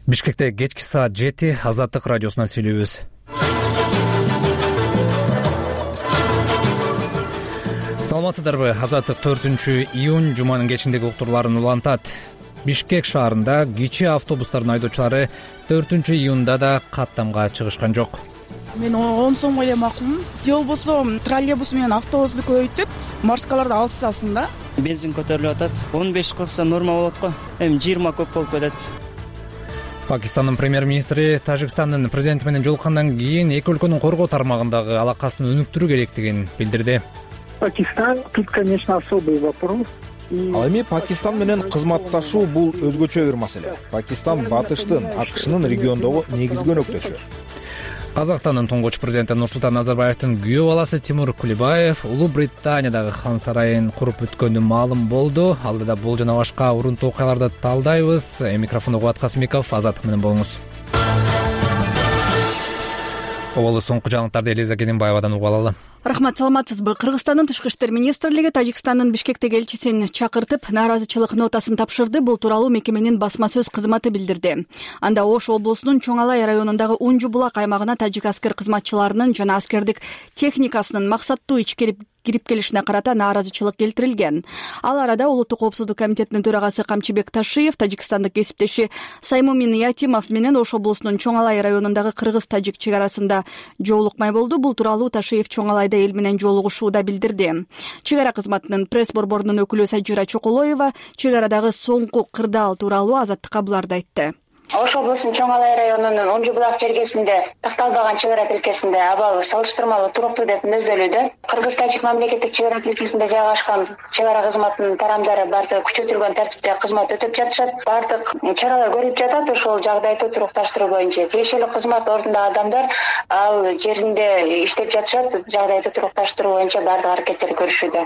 Бишкекте кечки саат 7 Азаттык радиосунан сүйлөйбүз. Саламатсыздарбы? Азаттык 4-июнь жуманын кечиндеги уктурларын улантат. Бишкек шаарында кичи автобустардын айдоочулары 4-июнда да каттамга чыгышкан жок. Мен 10 сомго эле макулмун. Же болбосо троллейбус менен автобусту көбөйтүп, маршруталарды алып салсын да. Бензин көтөрүлүп атат. 15 кылса норма болот го. Эми 20 көп болуп кетет. Пакистандын премьер-министри Тажикстандын президенти менен жолуккандан кийин эки өлкөнүн коргоо тармагындагы алакасын өнүктүрүү керектигин билдирди. Пакистан тут, конечно, особый вопрос. Ал эми Пакистан менен кызматташуу бул өзгөчө бир маселе. Пакистан батыштын, АКШнын региондогу негизги өнөктөшү. Казакстандын туңгуч президенти Нурсултан Назарбаевдин күйөө баласы Тимур Кулибаев Улуу Британиядагы хан сарайын куруп бүткөнү маалым болду. Алдыда бул жана башка урунтуу окуяларды талдайбыз. Микрофонду Кубат Касымбеков, Азаттык менен болуңуз. Оболу соңку жаңылыктарды Элиза Кененбаевадан угуп алалы. Рахмат, саламатсызбы? Кыргызстандын Тышкы иштер министрлиги Тажикстандын Бишкектеги элчисин чакыртып, нааразычылык нотасын тапшырды. Бул тууралуу мекеменин басма сөз кызматы билдирди. Анда Ош облусунун Чоң Алай районундагы Унжу булак аймагына тажик аскер кызматчыларынын жана аскердик техникасынын максаттуу ичкирип келишине карата нааразычылык келтирилген. Ал арада Улуттук коопсуздук комитетинин төрагасы Камчыбек Ташиев, тажикстандык кесиптеши Саймумин Ятимов менен Ош облусунун Чоң Алай районундагы кыргыз-тажик чек арасында жолукмай болду. Бул тууралуу Ташиев Чоң Алайда эл менен жолугушууда билдирди. Чек ара кызматынын пресс борборунун өкүлү Сажира Чоколоева чек арадагы соңку кырдаал тууралуу Азаттыкка буларды айтты. Ош облусунун Чоң Алай районунун Унжу булак жергесинде такталбаган чек ара тилкесинде абалы салыштырмалуу туруктуу деп мүнөздөлүүдө. Кыргыз-тажик мамлекеттик чек ара тилкесинде жайгашкан чек ара кызматынын тарамдары бардыгы күчөтүлгөн тартипте кызмат өтөп жатышат. Бардык чаралар көрүлүп жатат. Ошол жагдайды турукташтыруу боюнча тиешелүү кызмат ордундагы адамдар ал жеринде иштеп жатышат. Жагдайды турукташтыруу боюнча бардык аракеттерди көрүшүүдө.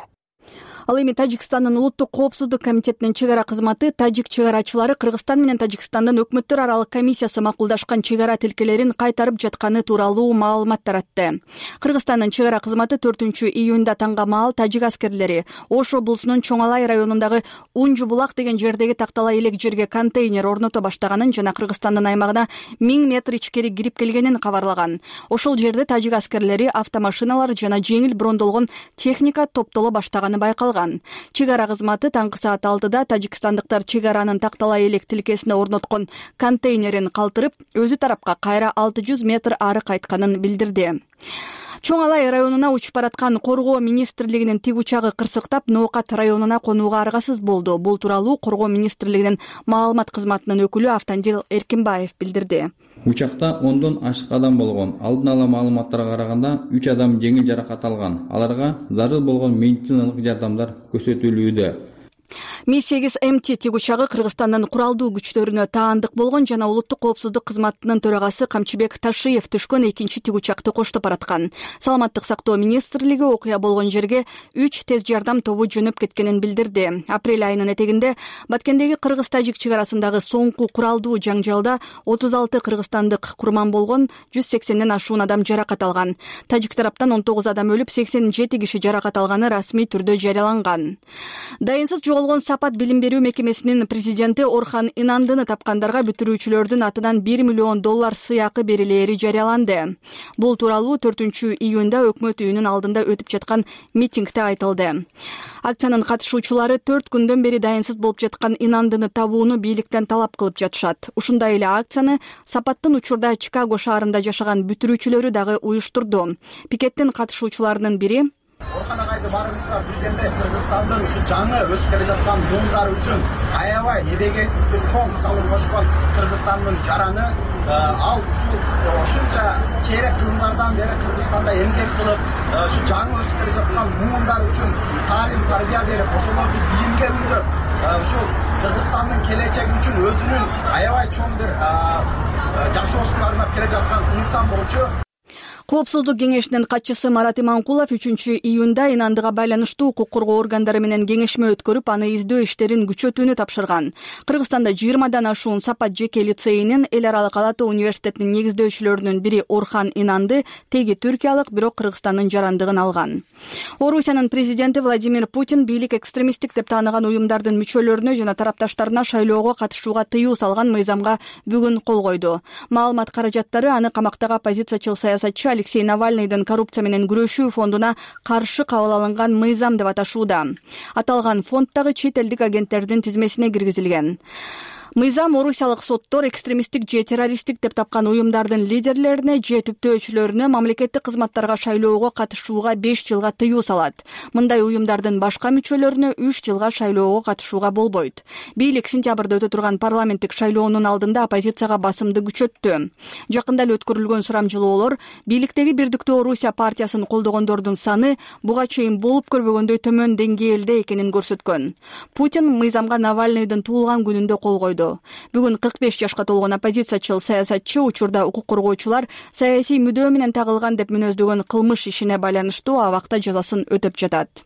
Ал эми Тажикстандын Улуттук коопсуздук комитетинин чек ара кызматы тажик чек арачылары Кыргызстан менен Тажикстандын өкмөттөр аралык комиссиясы макулдашкан чек ара тилкелерин кайтарып жатканы тууралуу маалымат таратты. Кыргызстандын чек ара кызматы 4-июнда таңга маал тажик аскерлери Ош облусунун Чоң Алай районундагы Унжу булак деген жердеги тактала элек жерге контейнер орното баштаганын жана Кыргызстандын аймагына 1000 метр ичкери кирип келгенин кабарлаган. Ошол жерде тажик аскерлери автомашиналар жана жеңил брондолгон техника топтоло баштаганы байкалган. Чек ара кызматы таңкы саат 6-да тажикстандыктар чек аранын тактала элек тилкесине орноткон контейнерин калтырып, өзү тарапка кайра 600 метр ары кайтканын билдирди. Чоң Алай районуна учуп бараткан Коргоо министрлигинин тик учагы кырсыктап, Ноокат районуна конууга аргасыз болду. Бул тууралуу Коргоо министрлигинин маалымат кызматынын өкүлү Автандил Эркинбаев билдирди. Учакта 10дон ашык адам болгон. Алдын ала маалыматтарга караганда 3 адам жеңил жаракат алган. Аларга зарыл болгон медициналык жардамдар көрсөтүлүүдө. Ми-8 МТ тик учагы Кыргызстандын куралдуу күчтөрүнө таандык болгон жана Улуттук коопсуздук кызматынын төрагасы Камчыбек Ташиев түшкөн экинчи тик учакты коштоп бараткан. Саламаттык сактоо министрлиги окуя болгон жерге 3 тез жардам тобу жөнөп кеткенин билдирди. Апрель айынын этегинде Баткендеги кыргыз-тажик чек арасындагы соңку куралдуу жаңжалда 36 кыргызстандык курман болгон, 180ден ашуун адам жаракат алган. Тажик тараптан 19 адам өлүп, 87 киши жаракат алганы расмий түрдө жарыяланган. Дайынсыз жоголгон Сапат билим берүү мекемесинин президенти Орхан Инандыны тапкандарга бүтүрүүчүлөрдүн атынан $1 миллион сыйакы берилери жарыяланды. Бул тууралуу 4-июнда өкмөт үйүнүн алдында өтүп жаткан митингде айтылды. Акциянын катышуучулары 4 күндөн бери дайынсыз болуп жаткан Инандыны табууну бийликтен талап кылып жатышат. Ушундай эле акцияны Сапаттын учурда Чикаго шаарында жашаган бүтүрүүчүлөрү дагы уюштурду. Пикеттин катышуучуларынын бири Орхан агайды барыңыздар билгенде Кыргызстандын ушу жаңы өсүп келе жаткан буундар үчүн аябай эбегейсиз бир чоң салым кошкон Кыргызстандын жараны ал ушунча керек кылымдардан бери Кыргызстанда эмгек кылып, ушу жаңы өсүп келе жаткан буундар үчүн таалим тарбия берип, ошолорду билимге үндөп, ушул Кыргызстандын келечеги үчүн өзүнүн аябай чоң бир жашоосун арнап келе жаткан инсан болчу. Коопсуздук кеңешинин катчысы Марат Иманкулов 3-июнда инандыга байланыштуу укук коргоо органдары менен кеңешме өткөрүп, аны издөө иштерин күчөтүүнү тапшырган. Кыргызстанда 20дан ашуун Сапат жеке лицейинин эл аралык Ала Тоо университетинин негиздөөчүлөрүнүн бири Орхан Инанды теги түркиялык, бирок Кыргызстандын жарандыгын алган. Орусиянын президенти Владимир Путин бийлик экстремисттик деп тааныган уюмдардын мүчөлөрүнө жана тарапташтарына шайлоого катышууга тыюу салган мыйзамга бүгүн кол койду. Маалымат каражаттары аны камактагы оппозициячыл саясатчы Алексей Навальныйдын коррупция менен күрөшүү фондуна каршы кабыл алынган мыйзам деп аташууда. Аталган фонддагы чет элдик агенттердин тизмесине киргизилген. Мыйзам орусиялык соттор экстремисттик же террористтик деп тапкан уюмдардын лидерлерине же түптөөчүлөрүнө мамлекеттик кызматтарга шайлоого катышууга 5 жылга тыюу салат. Мындай уюмдардын башка мүчөлөрүнө 3 жылга шайлоого катышууга болбойт. Бийлик сентябрда өтө турган парламенттик шайлоонун алдында оппозицияга басымды күчөттү. Жакында эле өткөрүлгөн сурамжылоолор бийликтеги Бирдиктүү Орусия партиясын колдогондордун саны буга чейин болуп көрбөгөндөй төмөн деңгээлде экенин көрсөткөн. Путин мыйзамга Навальныйдын туулган күнүндө кол койду. Бүгүн 45 жашка толгон оппозициячыл саясатчы учурда укук коргоочулар саясий мүдөө менен тагылган деп мүнөздөгөн кылмыш ишине байланыштуу абакта жазасын өтөп жатат.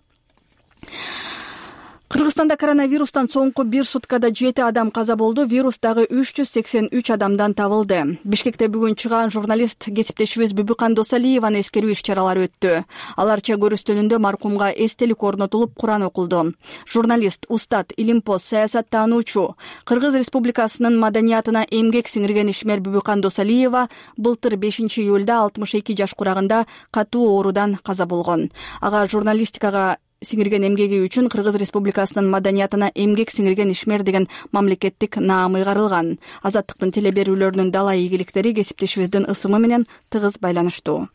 Кыргызстанда коронавирустан соңку бир суткада 7 адам каза болду, вирус дагы 383 адамдан табылды. Бишкекте бүгүн чыган журналист кесиптешибиз Бүбүкан Досалиеваны эскерүү иш-чаралары өттү. Аларча көрүстөнүндө маркумга эстелик орнотулуп, Куран окулду. Журналист, устат, илимпоз, саясаттануучу, Кыргыз Республикасынын маданиятына эмгек сиңирген ишмер Бүбүкан Досалиева былтыр 5-июлда 62 жаш курагында катуу оорудан каза болгон. Ага журналистикага сиңирген эмгеги үчүн Кыргыз Республикасынын маданиятына эмгек сиңирген ишмер деген мамлекеттик наам ыйгарылган. Азаттыктын телеберүүлөрүнүн дала ийгиликтери кесиптешибиздин ысымы менен тыгыз байланыштуу.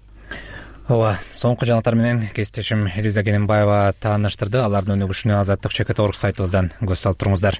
Ооба, соңку жаңалыктар менен кесиптешим Элиза Кененбаева тааныштырды. Алардын өнүгүшүнө Азаттык.org сайтыбыздан көз салып туруңуздар.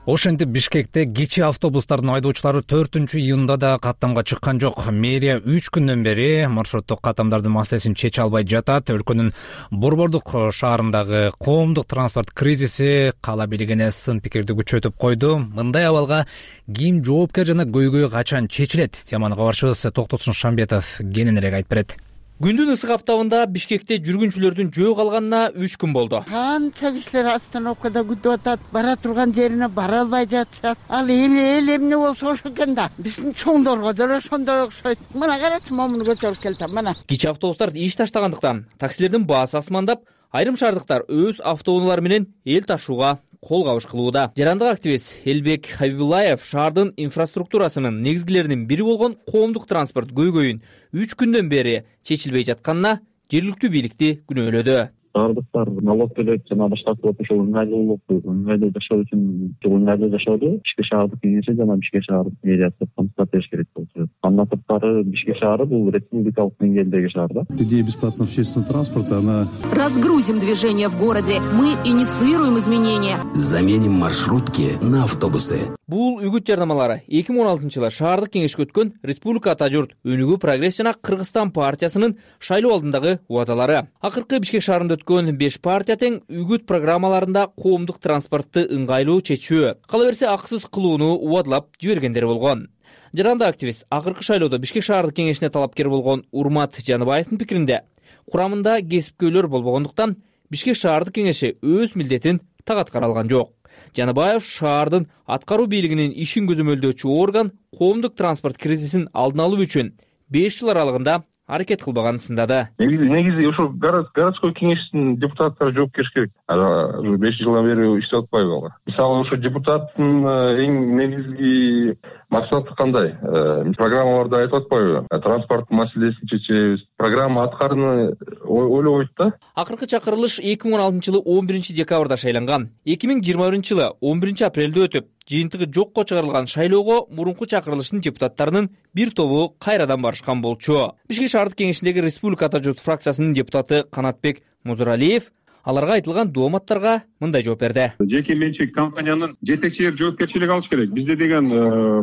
Ошентип Бишкекте кичи автобустардын айдоочулары 4-июнда да каттамга чыккан жок. Мэрия 3 күндөн бери маршруттук каттамдардын маселесин чече албай жатат. Өлкөнүн Борбордук шаарындагы коомдук транспорт кризиси кала бийлигине сын пикирди күчөтүп койду. Мындай абалга ким жоопкер жана көйгөй качан чечилет? Теманы кабарчыбыз Токтосун Шамбетов кененирээк айтып берет. Күндүн ысык аптабында Бишкекте жүргүнчүлөрдүн жөө калганына 3 күн болду. Канча кишилер остановкада күтүп атат, бара турган жерине бара албай жатышат. Ал эл эмне болсо ошо экен да. Биздин чоңдорго деле ошондой окшойт. Мына карачы, момуну көтөрүп келтим, мына. Кичи автобустар иш таштагандыктан таксилердин баасы асмандап, айрым шаардыктар өз автоунаалары менен эл ташууга кол кабыш кылууда. Жарандык активист Элбек Хабибуллаев шаардын инфраструктурасынын негизгилеринин бири болгон коомдук транспорт көйгөйүн 3 күндөн бери чечилбей жатканына жергиликтүү бийликти күнөөлөдү. Шаардыктар налог төлөйт жана башка ошол ыңгайлуу жашоо үчүн ыңгайлуу жашоодо Бишкек шаардык кеңеши жана Бишкек шаардык мэриясы камсыздап бериш керек болчу. Андан сырткары Бишкек шаары бул республикалык деңгээлдеги шаар да. Идея бесплатного общественного транспорта, она... Разгрузим движение в городе. Мы инициируем изменения. Заменим маршрутки на автобусы. Бул үгүт жарнамалары 2016-жылы шаардык кеңешке өткөн Республика ата журт Өнүгүү прогресс жана Кыргызстан партиясынын шайлоо алдындагы убадалары. Акыркы Бишкек шаарында өткөн 5 партия тең үгүт программаларында коомдук транспортты ыңгайлуу чечүү, кала берсе акысыз кылууну убадалап жибергендер болгон. Жарандык активист акыркы шайлоодо Бишкек шаардык кеңешине талапкер болгон Урмат Жаныбаевдин пикиринде, курамында кесипкөйлөр болбогондуктан Бишкек шаардык кеңеши өз милдетин так аткара алган жок. Жаныбаев шаардын аткаруу бийлигинин ишин көзөмөлдөөчү орган коомдук транспорт кризисин алдын алуу үчүн 5 жыл аралыгында аракет кылбаганын сындады. Негизи ошо городской кеңештин депутаттары жоопкерчилик керек. Уже 5 жылдан бери иштеп атпайбы алар? Мисалы ошо депутаттын эң негизги максаты кандай? Программаларда айтып атпайбы? Транспорт маселесин чечебиз. Программа аткарууну ойлобойт да. Акыркы чакырылыш 2016-жылы 11 декабрда шайланган. 2021-жылы 11 апрелде өтүп, жыйынтыгы жокко чыгарылган шайлоого мурунку чакырылыштын депутаттарынын бир тобу кайрадан барышкан болчу. Бишкек шаардык кеңешиндеги Республика ата журт фракциясынын депутаты Канатбек Музуралиев Аларга айтылган дооматтарга мындай жооп берди. Жеке менчик компаниянын жетекчилери жоопкерчилик алыш керек. Бизде деген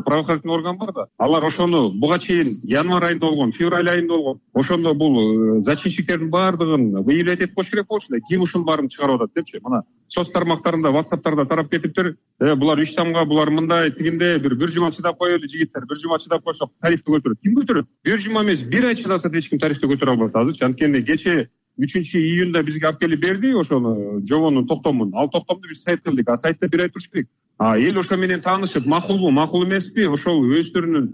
правоохранительный орган бар да. Алар ошону буга чейин январь айында болгон, февраль айында болгон. Ошондо бул зачинщиктердин баардыгын выявлять этип коюш керек болчу эле. Ким ушунун баарын чыгарып атат депчи. Мына соц тармактарында, WhatsApp'тарда тарап кетиптир. Булар иштамга, булар мындай тигинде бир жума чыдап коелу жигиттер. Бир жума чыдап койсок тарифти көтөрөт. Ким көтөрөт? Бир жума эмес, бир ай чыдаса эч ким тарифти көтөрө албайт азырчы. Анткени кече 3-июнда бизге алып келип берди ошону жобонун токтомун. Ал токтомду биз сайтка илдик. А сайтта бир ай туруш керек. Эл ошо менен таанышып, макулбу, макул эмеспи, ошол өздөрүнүн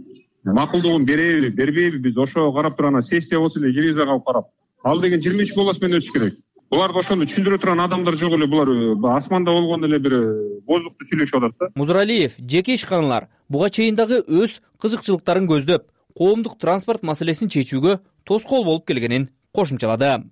макулдугун береби, бербейби, биз ошого карап туруп сессия болсо эле ревизияга алып карап. Ал деген 23 менен өтүш керек. Буларга ошону түшүндүрө турган адамдар жок эле. Булар асманда болгон эле бир боздукту сүйлөшүп атат да. Музуралиев жеке ишканалар буга чейин дагы өз кызыкчылыктарын көздөп, коомдук транспорт маселесин чечүүгө тоскоол болуп келгенин кошумчалады.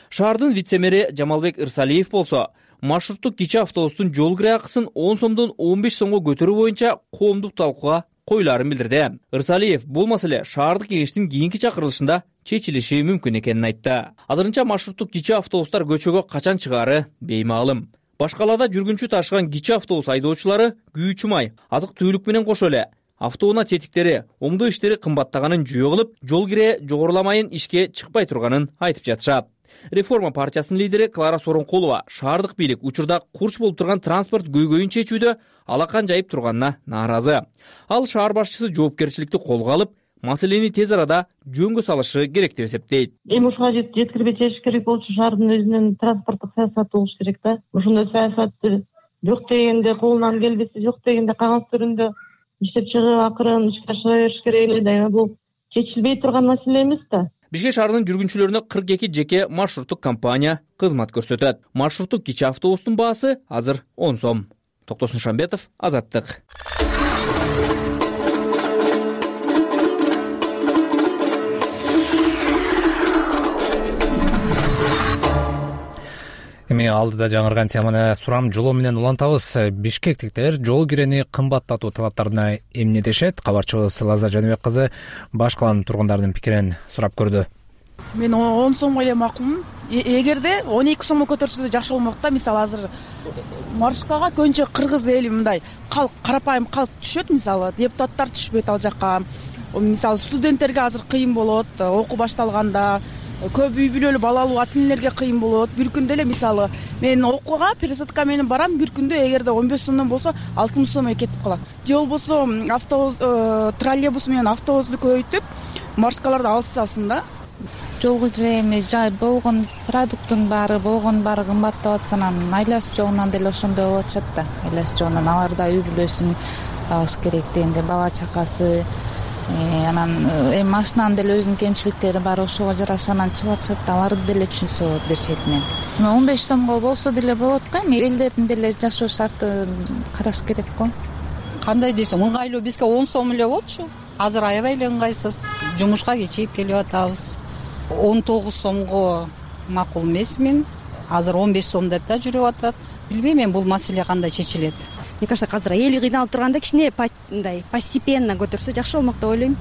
Шаардын вице-мэри Жамалбек Ырсалиев болсо, маршруттук кичи автобустун жол кире акысын 10 сомдон 15 сомго көтөрүү боюнча коомдук талкууга коюларын билдирди. Ырсалиев бул маселе шаардык кеңештин кийинки чакырылышында чечилиши мүмкүн экенин айтты. Азырынча маршруттук кичи автобустар көчөгө качан чыгаары беймаалым. Башкалада жүргүнчү ташыган кичи автобус айдоочулары күйүүчү май, азык-түлүк менен кошо эле автоунаа тетиктери, оңдоо иштери кымбаттаганын жүйө кылып, жол кире жогоруламайын ишке чыкпай турганын айтып жатышат. Реформа партиясынын лидери Клара Соронкулова шаардык бийлик учурда курч болуп турган транспорт көйгөйүн чечүүдө алакан жайып турганына нааразы. Ал шаар башчысы жоопкерчиликти колго алып, маселени тез арада жөнгө салышы керек деп эсептейт. Ушуга жеткирбей чечиш керек болчу, шаардын өзүнүн транспорттук саясаты болуш керек да. Ошондой саясатты жок дегенде колунан келбесе, жок дегенде кагаз түрүндө иштеп чыгып, акырын ишке ашыра бериш керек эле да. Бул чечилбей турган маселе эмес да. Бишкек шаарынын жүргүнчүлөрүнө 42 жеке маршруттук компания кызмат көрсөтөт. Маршруттук кичи автобустун баасы азыр 10 сом. Токтосун Шамбетов, Азаттык. Эми алдыда жаңырган теманы сурам жолоо менен улантабыз. Бишкектиктер жол кирени кымбаттатуу талаптарына эмне дешет? Кабарчыбыз Лаза Жаныбек кызы баш каланын тургундарынын пикирин сурап көрдү. Мен 10 сомго эле макулмун. Эгерде 12 сомго көтөрсө жакшы болмок да. Мисалы азыр маршруткага көбүнчө кыргыз эли мындай карапайым калк түшөт. Мисалы депутаттар түшпөйт ал жакка. Мисалы студенттерге азыр кыйын болот, окуу башталганда. Көп үй бүлөлүү балалуу ата энелерге кыйын болот. Бир күндө эле мисалы мен окууга пересадка менен барам, бир күндө эгерде 15 сомдон болсо 60 сомго кетип калат. Же болбосо автобус, троллейбус менен автобусту көбөйтүп, маршруткаларды алып салсын да. Жол кире жай болгон продукттун баары кымбаттап атса, анан айласы жогунан деле ошондой болуп атышат да. Айласы жогунан алар да үй бүлөсүн багыш керек дегенде, бала чакасы, анан машинанын деле өзүнүн кемчиликтери бар, ошого жараша анан чыгып атышат да. Аларды деле түшүнсө болот бир четинен. 15 сомго болсо деле болот го, эми элдердин деле жашоо шартын караш керек го. Кандай десем, ыңгайлуу бизге 10 сом эле болчу. Азыр аябай эле ыңгайсыз. Жумушка кечип келип атабыз. 19 сомго макул эмесмин. Азыр 15 сом деп да жүрүп атат. Билбейм мен бул маселе кандай чечилет. Мне кажется, азыр эл кыйналып турганда кичине мындай постепенно көтөрсө жакшы болмок деп ойлойм.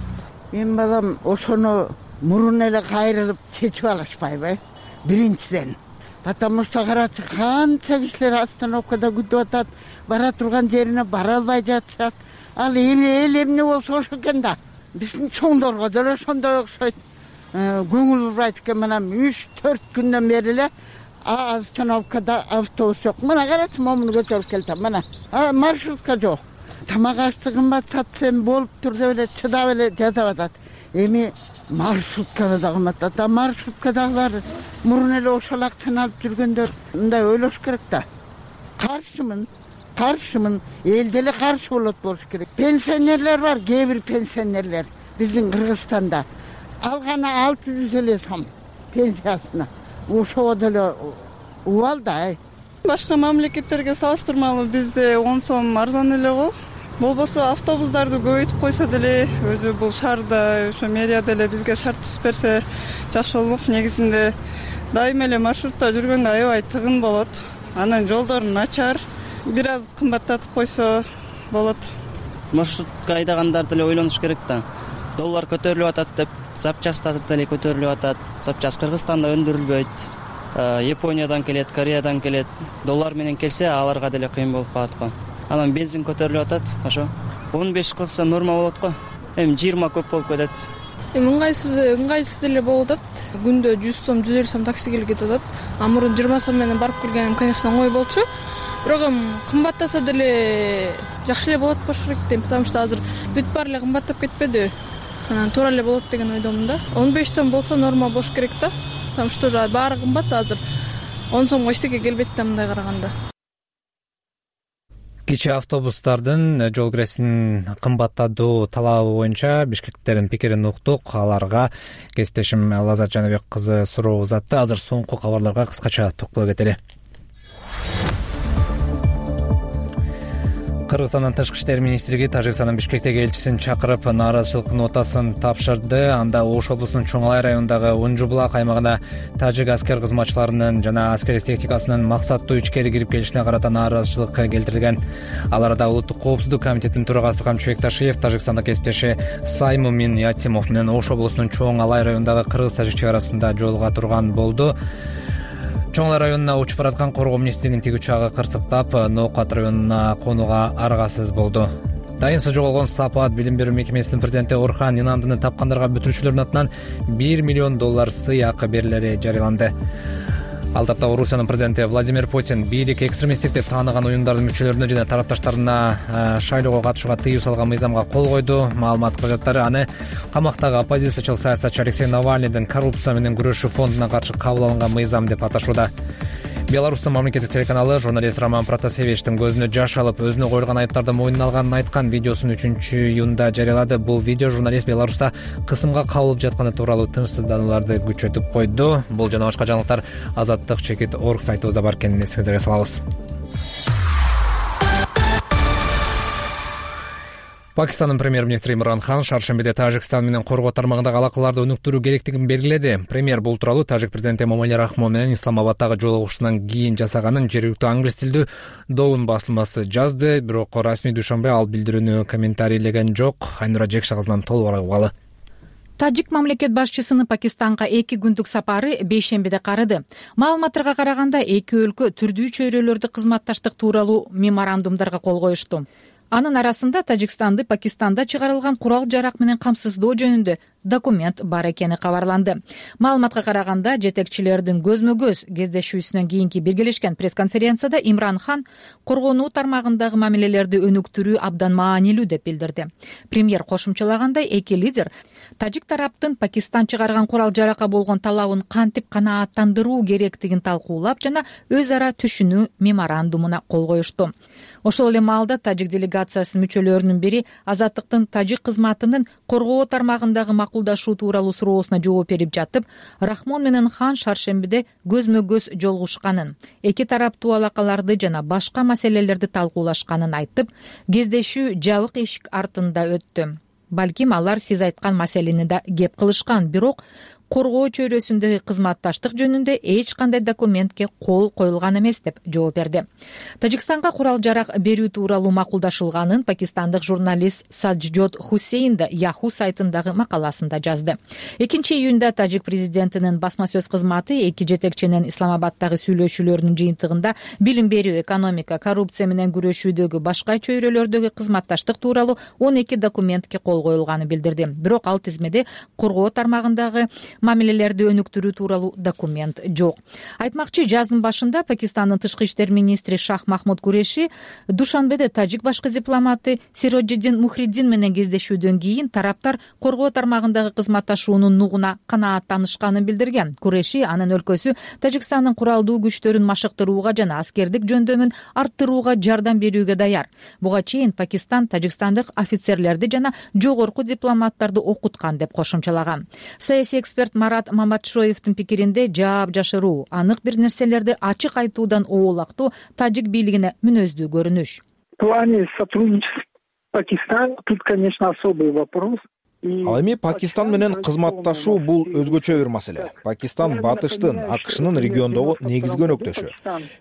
Мен балам ошону мурун эле кайрылып чечип алышпайбы? Биринчиден. Потому что карачы канча кишилер остановкада күтүп атат, бара турган жерине бара албай жатышат. Ал эл эмне болсо ошо экен да. Биздин чоңдорго деле ошондой окшойт. Көңүл бурбайт экен, мына 3-4 күндөн бери эле остановкада автобус жок. Мына карачы, момуну көтөрүп келдим. Мына маршрутка жок. Тамак ашты кымбат сатсам болуп тур деп эле чыдап эле жатып атат. Эми маршрутканы да кымбаттат. Маршруткадагылар мурун эле ошол акчаны алып жүргөндөр мындай ойлош керек да. Каршымын. Эл деле каршы болуш керек. Пенсионерлер бар, кээ бир пенсионерлер биздин Кыргызстанда алганы 600 эле сом пенсиясына. Ошого деле убал да. Башка мамлекеттерге салыштырмалуу бизде 10 сом арзан эле го. Болбосо автобустарды көбөйтүп койсо деле, өзү бул шаарда, ошо мэрия деле бизге шарт түзүп берсе жакшы болмок. Негизинде дайыма эле маршрутта жүргөндө аябай тыгын болот. Анан жолдор начар, бир аз кымбаттатып койсо болот. Маршрутка айдагандар деле ойлонуш керек да. Доллар көтөрүлүп атат деп, запчасттар деле көтөрүлүп атат. Запчас Кыргызстанда өндүрүлбөйт. Япониядан келет, Кореядан келет. Доллар менен келсе, аларга деле кыйын болуп калат го. Анан бензин көтөрүлүп атат, ошо 15 кылса норма болот го. Эми 20 көп болуп кетет. ыңгайсыз эле болуп атат. Күндө 100 сом, 150 сом такси келип кетип атат. Мурун 20 сом менен барып келгеним, конечно, оңой болчу. Бирок кымбаттаса деле жакшы эле болот болуш керек дейм, потому что азыр бүт баары эле кымбаттап кетпеди. Анан туура эле болот деген ойдомун да. 15 сом болсо норма болуш керек да. Потому что баары кымбат азыр. 10 сомго эчтеке келбейт да мындай караганда. Кичи автобустардын жол киресин кымбаттатуу талабы боюнча бишкекттердин пикирин уктук. Аларга кесиптешим Лазат Жаныбек кызы суроо узатты. Азыр соңку кабарларга кыскача токтоло кетели. Кыргызстандын тышкы иштер министрлиги Тажикстандын Бишкектеги элчисин чакырып, нааразычылык нотасын тапшырды. Анда Ош облусунун Чоң Алай районундагы Унжубулак аймагына тажик аскер кызматчыларынын жана аскердик техникасынын максаттуу ичкери кирип келишине карата нааразычылык келтирилген. Ал арада Улуттук коопсуздук комитетинин төрагасы Камчыбек Ташиев Тажикстандык кесиптеши Саймумин Ятимов менен Ош облусунун Чоң Алай районундагы кыргыз-тажик чек арасында жолуга турган болду. Чоң Алай районуна учуп бараткан коргоо министринин тиги учагы кырсыктап, Ноокат районуна конууга аргасыз болду. Дайынсыз жоголгон Сапаат билим берүү мекемесинин президенти Орхан Инандыны тапкандарга бүтүрүүчүлөрдүн атынан $1 миллион сый акы берилери жарыяланды. Ал тапта Орусиянын президенти Владимир Путин бийлик экстремисттик деп тааныган уюмдардын мүчөлөрүнө жана тарапташтарына шайлоого катышууга тыюу салган мыйзамга кол койду. Маалымат кылжаттары аны камактагы оппозициячыл саясатчы Алексей Навальныйдын коррупция менен күрөшүү фондуна каршы кабыл алынган мыйзам деп аташууда. Беларустун мамлекеттик телеканалы журналист Роман Протасевичтин көзүнө жаш алып, өзүнө коюлган айыптарды мойнуна алганын айткан видеосун 3-июнда жарыялады. Бул видео журналист Беларуста кысымга кабылып жатканы тууралуу тынчсызданууларды күчөтүп койду. Бул жана башка жаңылыктар Азаттык.org сайтыбызда бар экенин эсиңизерге салабыз. Пакистандын премьер-министри Имран Хан шаршембиде Тажикстан менен коргоо тармагындагы алакаларды өнүктүрүү керектигин белгиледи. Премьер бул тууралуу тажик президенти Эмомали Рахмон менен Исламабадтагы жолугушуудан кийин жасаганын жергиликтүү англис тилдүү Доун басылмасы жазды. Бирок расмий дүйшөмбү ал билдирүүнү комментарийлеген жок. Айнура Жекша кызынан толугураак угалы. Тажик мамлекет башчысынын Пакистанга 2 күндүк сапары бейшембиде карады. Маалыматтарга караганда эки өлкө түрдүү чөйрөлөрдө кызматташтык тууралуу меморандумдарга кол коюшту. Анын арасында Тажикстанды Пакистанда чыгарылган курал-жарак менен камсыздоо жөнүндө документ бар экени кабарланды. Маалыматка караганда, жетекчилердин көзмө-көз кездешүүсүнөн кийинки биргелешкен пресс-конференцияда Имран Хан коргонуу тармагындагы мамилелерди өнүктүрүү абдан маанилүү деп билдирди. Премьер кошумчалагандай, эки лидер тажик тараптын Пакистан чыгарган курал-жаракка болгон талабын кантип канааттандыруу керектигин талкуулап жана өз ара түшүнүү меморандумуна кол коюшту. Ошол эле маалда тажик делегациясынын мүчөлөрүнүн бири Азаттыктын тажик кызматынын коргоо тармагындагы макулдашуу тууралуу суроосуна жооп берип жатып, Рахмон менен Хан шаршембиде көзмө-көз жолугушканын, эки тараптуу алакаларды жана башка маселелерди талкуулашканын айтып, кездешүү жабык эшик артында өттү. Балким алар сиз айткан маселени да кеп кылышкан, бирок коргоо чөйрөсүндөгү кызматташтык жөнүндө эч кандай документке кол коюлган эмес деп жооп берди. Тажикстанга курал-жарак берүү тууралуу макулдашылганын пакистандык журналист Саджод Хусейн да Yahoo сайтындагы макаласында жазды. 2-июнда тажик президентинин басма сөз кызматы эки жетекчинин Исламабадтагы сүйлөшүүлөрүнүн жыйынтыгында билим берүү, экономика, коррупция менен күрөшүүдөгү башка чөйрөлөрдөгү кызматташтык тууралуу 12 документке кол коюлганын билдирди. Бирок ал тизмеде коргоо тармагындагы мамилелерди өнүктүрүү тууралуу документ жок. Айтмакчы, жаздын башында Пакистандын тышкы иштер министри Шах Махмуд Куреши Душанбеде тажик башкы дипломаты Сироджиддин Мухриддин менен кездешүүдөн кийин тараптар коргоо тармагындагы кызматташуунун нугуна канааттанышканын билдирген. Куреши анын өлкөсү Тажикстандын куралдуу күчтөрүн машыктырууга жана аскердик жөндөмүн арттырууга жардам берүүгө даяр. Буга чейин Пакистан тажикстандык офицерлерди жана жогорку дипломаттарды окуткан деп кошумчалаган. Саясий эксперт Марат Маматшоевдин пикиринде жаап жашыруу, анык бир нерселерди ачык айтуудан оолактуу тажик бийлигине мүнөздүү көрүнүш. В плане сотрудничества Пакистана тут, конечно, особый вопрос. Ал эми Пакистан менен кызматташуу бул өзгөчө бир маселе. Пакистан батыштын, АКШнын региондогу негизги өнөктөшү.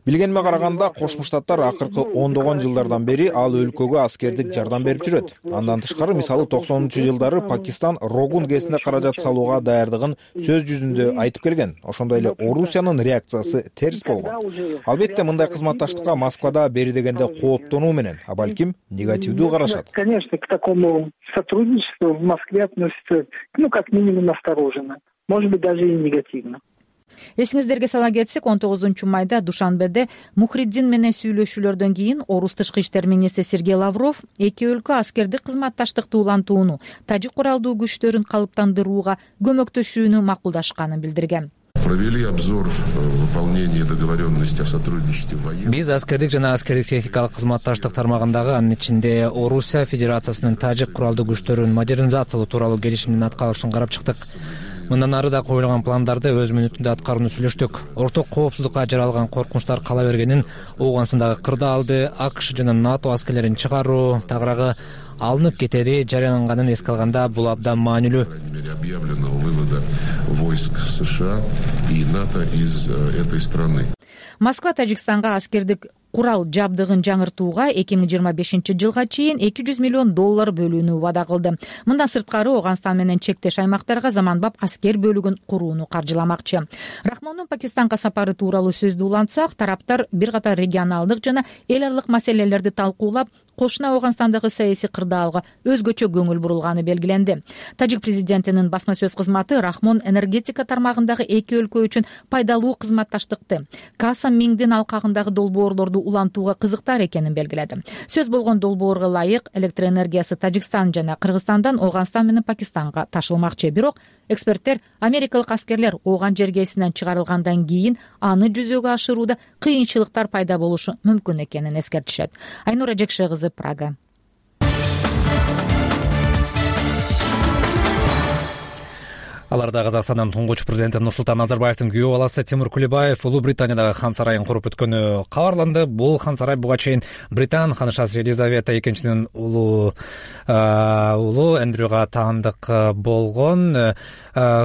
Билгениме караганда Кошмо Штаттар акыркы ондогон жылдардан бери ал өлкөгө аскердик жардам берип жүрөт. Андан тышкары мисалы 90-жылдары Пакистан Рогун ГЭСине каражат салууга даярдыгын сөз жүзүндө айтып келген. Ошондой эле Орусиянын реакциясы терс болгон. Албетте мындай кызматташтыкка Москвада бери дегенде кооптонуу менен, а балким негативдүү карашат. Конечно, к такому сотрудничеству в Москве относятся, как минимум настороженно, может быть, даже и негативно. Эсиңиздерге сала кетсек, 19-майда Душанбеде Мухриддин менен сүйлөшүүлөрдөн кийин Орус тышкы иштер министри Сергей Лавров эки өлкө аскердик кызматташтыкты улантууну, тажик куралдуу күчтөрүн калыптандырууга көмөктөшүүнү макулдашканын билдирген. Провели обзор выполнения договоренности о сотрудничестве военных. Биз аскердик жана аскердик техникалык кызматташтык тармагындагы, анын ичинде Орусия Федерациясынын тажик куралдуу күчтөрүн модернизациялоо тууралуу келишимдин аткарылышын карап чыктык. Мындан ары да коюлган пландарды өз мүнөтүндө аткарууну сүйлөштүк. Орток коопсуздукка жаралган коркунучтар кала бергенин, Ооганстандагы кырдаалды АКШ жана НАТО аскерлерин чыгаруу, тагыраагы алынып кетери жарыяланганын эске алганда бул абдан маанилүү. Объявленного вывода войск США и НАТО из этой страны. Москва Тажикстанга аскердик курал жабдыгын жаңыртууга 2025-жылга чейин $200 миллион бөлүүнү убада кылды. Мындан сырткары Ооганстан менен чектеш аймактарга заманбап аскер бөлүгүн курууну каржыламакчы. Рахмондун Пакистанга сапары тууралуу сөздү улантсак, тараптар бир катар регионалдык жана эл аралык маселелерди талкуулап, кошуна Ооганстандагы саясий кырдаалга өзгөчө көңүл бурулганы белгиленди. Тажик президентинин басма сөз кызматы Рахмон энергетика тармагындагы эки өлкө үчүн пайдалуу кызматташтыкты, Каса Миңдин алкагындагы долбоорлорду улантууга кызыктар экенин белгиледи. Сөз болгон долбоорго ылайык электроэнергиясы Тажикстан жана Кыргызстандан Ооганстан менен Пакистанга ташылмакчы. Бирок эксперттер америкалык аскерлер Ооган жергесинен чыгарылгандан кийин аны жүзөгө ашырууда кыйынчылыктар пайда болушу мүмкүн экенин эскертишет. Айнура Жекше кызы, Прага. Аларда Казакстандын туңгуч президенти Нурсултан Назарбаевдин күйөө баласы Тимур Кулибаев Улуу Британиядагы хан сарайын куруп өткөнү кабарланды. Бул хан сарай буга чейин Британ ханышасы Елизавета экинчинин улуу Эндрюга таандык болгон.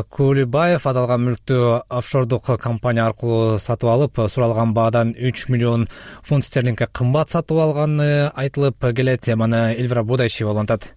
Кулибаев аталган мүлктү офшордук компания аркылуу сатып алып, суралган баадан 3 миллион фунт стерлингге кымбат сатып алганы айтылып келет. Мана Эльвира Будайчева улантат.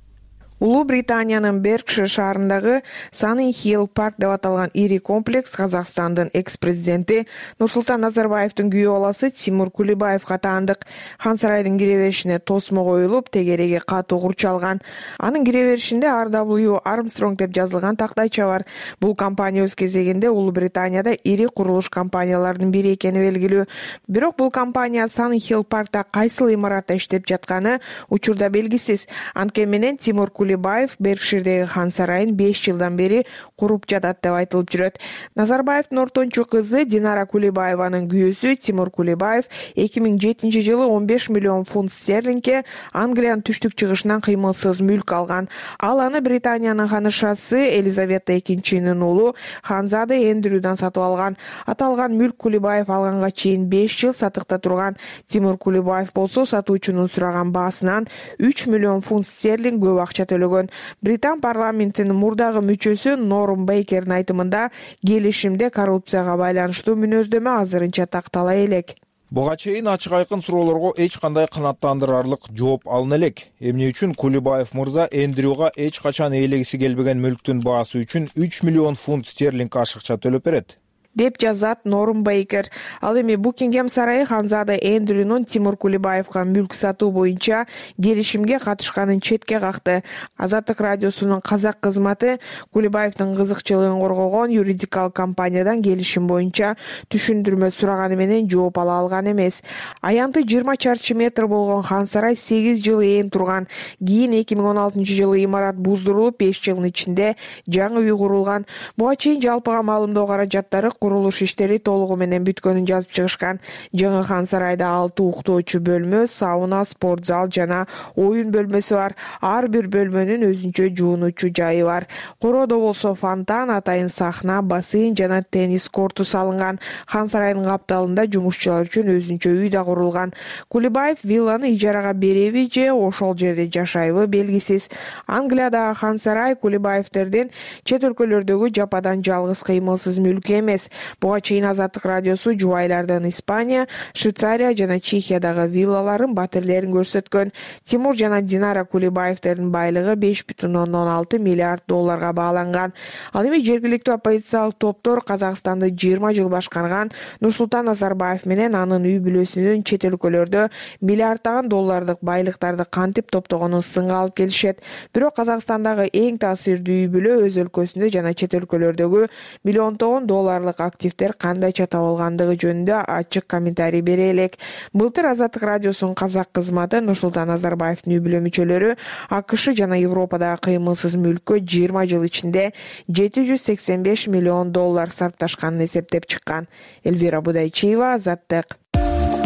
Улуу Британиянын Беркшир шаарындагы Санин Хилл парк деп аталган ири комплекс Казакстандын экс-президенти Нурсултан Назарбаевдин күйөө баласы Тимур Кулибаевга таандык. Хан сарайдын кире беришине тосмо коюлуп, тегереги катуу курчалган. Анын кире беришинде RW Armstrong деп жазылган тактайча бар. Бул компания өз кезегинде Улуу Британияда ири курулуш компаниялардын бири экени белгилүү. Бирок бул компания Санин Хилл паркта кайсыл имаратта иштеп жатканы учурда белгисиз. Анткени менен Тимур Кулибаев Беркширдеги хан сарайын 5 жылдан бери куруп жатат деп айтылып жүрөт. Назарбаевдин ортончу кызы Динара Кулибаеванын күйөөсү Тимур Кулибаев 2007-жылы 15 миллион фунт стерлингге Англиянын түштүк-чыгышынан кыймылсыз мүлк алган. Ал аны Британиянын ханышасы Елизавета экинчинин уулу Ханзада Эндрюдан сатып алган. Аталган мүлк Кулибаев алганга чейин 5 жыл сатыкта турган. Тимур Кулибаев болсо сатуучунун сураган баасынан 3 миллион фунт стерлинг көп акча төлөгөн. Британ парламентинин мурдагы мүчөсү Норм Бейкердин айтымында келишимде коррупцияга байланыштуу мүнөздөмө азырынча тактала элек. Буга чейин ачык айкын суроолорго эч кандай канааттандырарлык жооп алына элек. Эмне үчүн Кулибаев мырза Эндрюга эч качан ээлегиси келбеген мүлктүн баасы үчүн 3 миллион фунт стерлинг ашыкча төлөп берет деп жазат Норм Бейкер. Ал эми Букингем сарайы Ханзада Эндрюнун Тимур Кулибаевга мүлк сатуу боюнча келишимге катышканын четке какты. Азаттык радиосунун казак кызматы Кулибаевдин кызыкчылыгын коргогон юридикалык компаниядан келишим боюнча түшүндүрмө сураганы менен жооп ала алган эмес. Аянты 20 чарчы метр болгон хан сарай 8 жыл ээн турган. Кийин 2016-жылы имарат буздурулуп 5 жылдын ичинде жаңы үй курулган. Буга чейин жалпыга маалымдоо каражаттары курулуш иштери толугу менен бүткөнүн жазып чыгышкан. Жаңы Хан сарайда 6 уктоочу бөлмө, сауна, спорт зал жана оюн бөлмөсү бар. Ар бир бөлмөнүн өзүнчө жуунуучу жайы бар. Короодо болсо фонтан, атайын сахна, бассейн жана теннис корту салынган. Хан сарайдын капталында жумушчулар үчүн өзүнчө үй да курулган. Кулибаев вилланы ижарага береби же ошол жерде жашайбы белгисиз. Англиядагы Хан сарай Кулибаевтердин чет өлкөлөрдөгү жападан жалгыз кыймылсыз мүлкү эмес. Буга чейин Азаттык радиосу жубайлардын Испания, Швейцария жана Чехиядагы виллаларын, батирлерин көрсөткөн. Тимур жана Динара Кулибаевтердин байлыгы 5,6 миллиард долларга бааланган. Ал эми жергиликтүү оппозициялык топтор Казакстанды 20 жыл башкарган Нурсултан Назарбаев менен анын үй бүлөсүнүн чет өлкөлөрдө миллиарддаган доллардык байлыктарды кантип топтогонун сынга алып келишет. Бирок Казакстандагы эң таасирдүү үй бүлө өз өлкөсүндө жана чет өлкөлөрдөгү миллиондогон долларлык активдер кандайча табылгандыгы жөнүндө ачык комментарий бере элек. Былтыр Азаттык радиосунун казак кызматы Нурсултан Назарбаевдин үй бүлө мүчөлөрү АКШ жана Европадагы кыймылсыз мүлккө 20 жыл ичинде 785 миллион доллар сарпташканын эсептеп чыккан. Эльвира Будайчиева, Азаттык.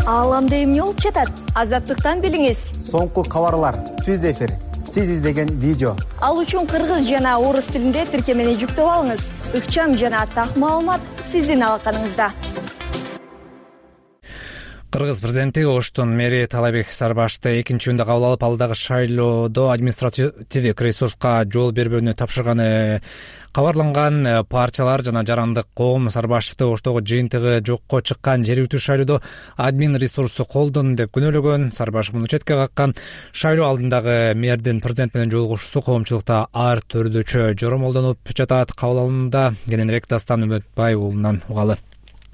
Ааламда эмне болуп жатат? Азаттыктан билиңиз. Соңку кабарлар, түз эфир, сиз издеген видео. Ал үчүн кыргыз жана орус тилинде тиркемени жүктөп алыңыз. Ыкчам жана так маалымат сиздин алаканыңызда. Кыргыз президенти Оштун мэри Талайбек Сарбашты экинчи үндө кабыл алып, ал дагы шайлоодо административдик ресурска жол бербөөнү тапшырганы кабарланган. Партиялар жана жарандык коом Сарбашевди Оштогу жыйынтыгы жокко чыккан жергиликтүү шайлоодо админ ресурсу колдону деп күнөөлөгөн. Сарбашев муну четке каккан. Шайлоо алдындагы мэрдин президент менен жолугушуусу коомчулукта ар түрдүүчө жоромолдонуп жатат. Кабыл алымында кененирээк Дастан Үмөтбаев уулунан угалы.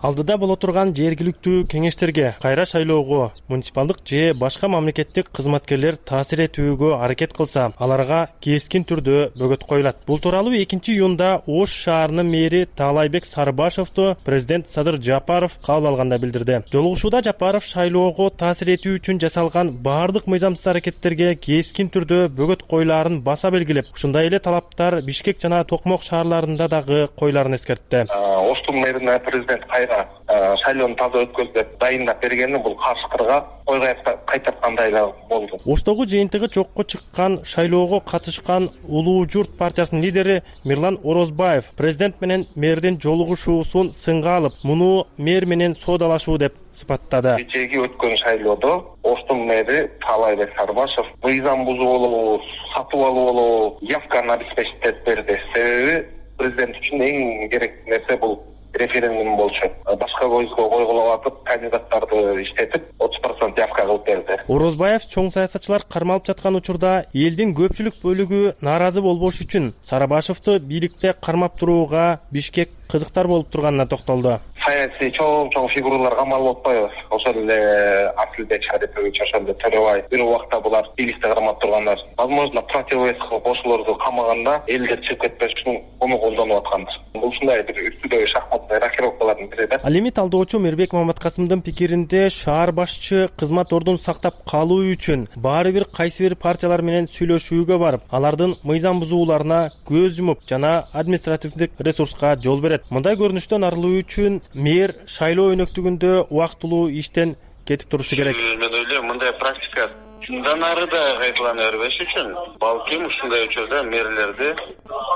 Алдыда боло турган жергиликтүү кеңештерге, кайра шайлоого муниципалдык же башка мамлекеттик кызматкерлер таасир этүүгө аракет кылса, аларга кескин түрдө бөгөт коюлат. Бул тууралуу 2-июнда Ош шаарынын мэри Талайбек Сарбашевду президент Садыр Жапаров кабыл алганда билдирди. Жолугушууда Жапаров шайлоого таасир этүү үчүн жасалган баардык мыйзамсыз аракеттерге кескин түрдө бөгөт коюлаарын баса белгилеп, ушундай эле талаптар Бишкек жана Токмок шаарларында дагы коюларын эскертти. Оштун мэрине президент шайлоону таза өткөз деп дайындап бергени бул каршыкырга койго кайтаткандай болду. Оштогу жыйынтыгы жокко чыккан шайлоого катышкан Улуу Журт партиясынын лидери Мирлан Орозбаев президент менен мэрдин жолугушуусун сынга алып, муну мэр менен соодалашуу деп сыпаттады. Кечээги өткөн шайлоодо Оштун мэри Талайбек Сарбашев мыйзам бузуу болобу, сатып алуу болобу, явканы обеспечить берди. Себеби президент үчүн эң керектүү нерсе бул референдум болчу. Башка көзгө койгулап атып, кандидаттарды иштетип, 30% явка кылып берди. Орозбаев чоң саясатчылар кармалып жаткан учурда элдин көпчүлүк бөлүгү нааразы болбош үчүн Сарбашевди бийликте кармап турууга Бишкек кызыктар болуп турганына токтолду. Саясий чоң фигуралар камалып атпайбы? Ошол эле Асылбек Шарипович, ошол эле Төрөбаев, бир убакта булар бийликте кармап тургандар. Возможно, противовес кылып ошолорду камаганда элдер чыгып кетпеш үчүн муну колдонуп аткандыр. Бул ушундай бир үстүдөгү шахматный рокировкалардын бири да. Ал эми талдоочу Мирбек Маматкасымдын пикиринде шаар башчы кызмат ордун сактап калуу үчүн баары бир кайсы бир партиялар менен сүйлөшүүгө барып, алардын мыйзам бузууларына көз жумуп жана административдик ресурска жол берет. Мындай көрүнүштөн арылуу үчүн мэр шайлоо өнөктүгүндө убактылуу иштен кетип турушу керек. Мен ойлойм, мындай практика мындан ары да кайталана бербеш үчүн балким ушундай учурда мэрлерди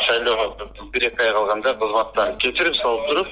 шайлоого 1-2 ай калганда кызматтан кечирип салып туруп,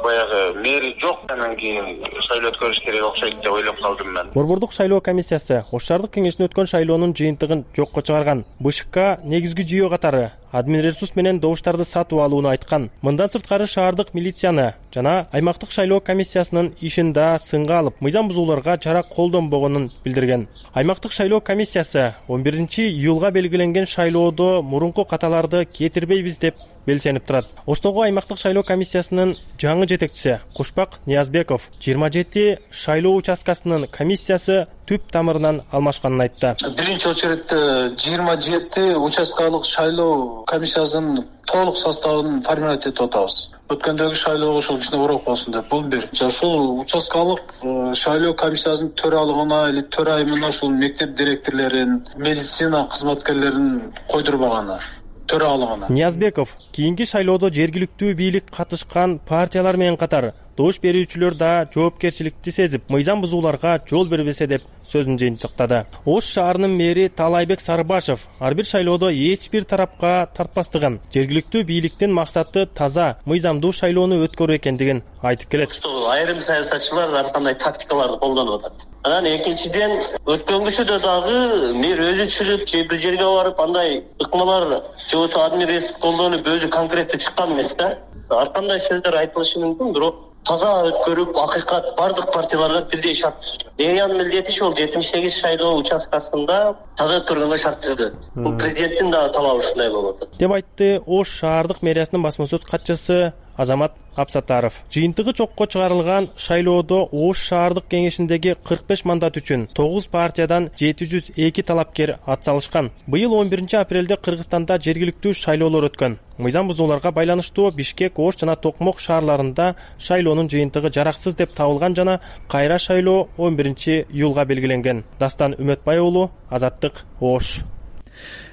баягы мэри жок анан кийин шайлоо өткөрүш керек окшойт деп ойлоп калдым мен. Борбордук шайлоо комиссиясы Ош шаардык кеңешинде өткөн шайлоонун жыйынтыгын жокко чыгарган. БШК негизги жүйө катары админ ресурс менен добуштарды сатып алууну айткан. Мындан сырткары шаардык милицияны жана аймактык шайлоо комиссиясынын ишин да сынга алып, мыйзам бузууларга чара колдонбогонун билдирген. Аймактык шайлоо комиссиясы 11-июлга белгиленген шайлоодо мурунку каталарды кетирбейбиз деп белсенип турат. Оштогу аймактык шайлоо комиссиясынын жаңы жетекчиси Кушпак Ниязбеков 27 шайлоо участкасынын комиссиясы түп тамырынан алмашканын айтты. Биринчи очередде 27 участкалык шайлоо комиссиясынын толук составын формировать этип атабыз. Өткөндөгү шайлоого ошол кичине урок болсун деп бул бир. Ошол участкалык шайлоо комиссиясынын төралыгына или төрайымына ошол мектеп директорлорун, медицина кызматкерлерин койдурбаганы. төралыгына. Ниязбеков кийинки шайлоодо жергиликтүү бийлик катышкан партиялар менен катар добуш берүүчүлөр да жоопкерчиликти сезип, мыйзам бузууларга жол бербесе деп сөзүн жыйынтыктады. Ош шаарынын мэри Талайбек Сарыбашев ар бир шайлоодо эч бир тарапка тартпастыгын, жергиликтүү бийликтин максаты таза, мыйзамдуу шайлоону өткөрүү экендигин айтып келет. Айрым саясатчылар ар кандай тактикаларды колдонуп атат. Анан экинчиден өткөнгүсүдө дагы мэр өзү чыгып, же бир жерге барып андай ыкмалар же болбосо администрация колдонуп өзү конкреттүү чыккан эмес да. Ар кандай сөздөр айтылышы мүмкүн, бирок таза өткөрүп, акыйкат бардык партияларга бирдей шарт түздү. Эриянын милдети ошол 78 шайлоо участкасында таза өткөргөнгө шарт түздү. Бул президенттин да талабы ушундай болуп атат, деп айтты Ош шаардык мэриясынын басма сөз катчысы Азамат Апсатаров. Жыйынтыгы чокко чыгарылган шайлоодо Ош шаардык кеңешиндеги 45 мандат үчүн 9 партиядан 702 талапкер атсалышкан. Быйыл 11 апрелде Кыргызстанда жергиликтүү шайлоолор өткөн. Мыйзам бузууларга байланыштуу Бишкек, Ош жана Токмок шаарларында шайлоонун жыйынтыгы жараксыз деп табылган жана кайра шайлоо 11 июлга белгиленген. Дастан Үмөтбай уулу, Азаттык, Ош.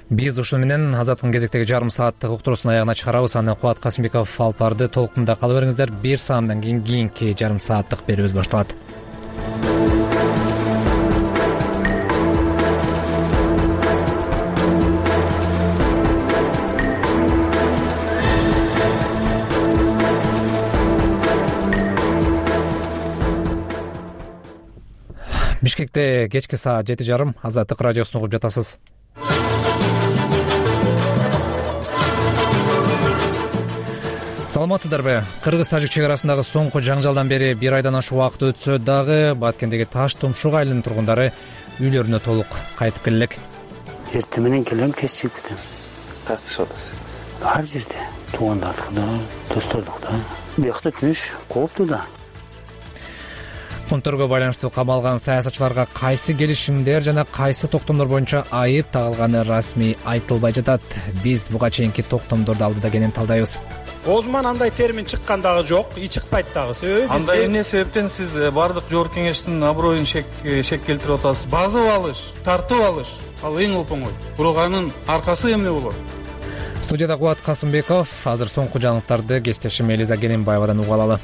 Биз ушуну менен Азаттын кезектеги жарым сааттык уктуруусун аягына чыгарабыз. Анан Кубат Касымбеков алып барды. Толкунда кала бериңиздер. Бир саамдан кийинки жарым сааттык берүүбүз башталат. Бишкекте кечки саат 7:30 Азаттык радиосун угуп жатасыз. Саламатсыздарбы? Кыргыз-тажик чек арасындагы соңку жаңжалдан бери бир айдан ашык убакыт өтсө дагы Баткендеги Таш Тумшук айылынын тургундары үйлөрүнө толук кайтып келе элек. Эртең менен келем, кеч чыгып кетем. Тартышып атасыз. Ар жерде туугандардыкта, достордукта. Биякта түнүш кооптуу да. Конторго байланыштуу камалган саясатчыларга кайсы келишимдер жана кайсы токтомдор боюнча айып тагылганы расмий айтылбай жатат. Биз буга чейинки токтомдорду алдыда кенен талдайбыз. Оозуман андай термин чыккан дагы жок, чыкпайт дагы. Себеби андай эмне себептен сиз бардык жогорку кеңештин аброюн шек келтирип атасыз. Базып алыш, тартып алыш ал эң оңой. Бирок анын аркасы эмне болот? Студияда Кубат Касымбеков. Азыр соңку жаңылыктарды кесиптешим Элиза Гененбаевадан уга алалы.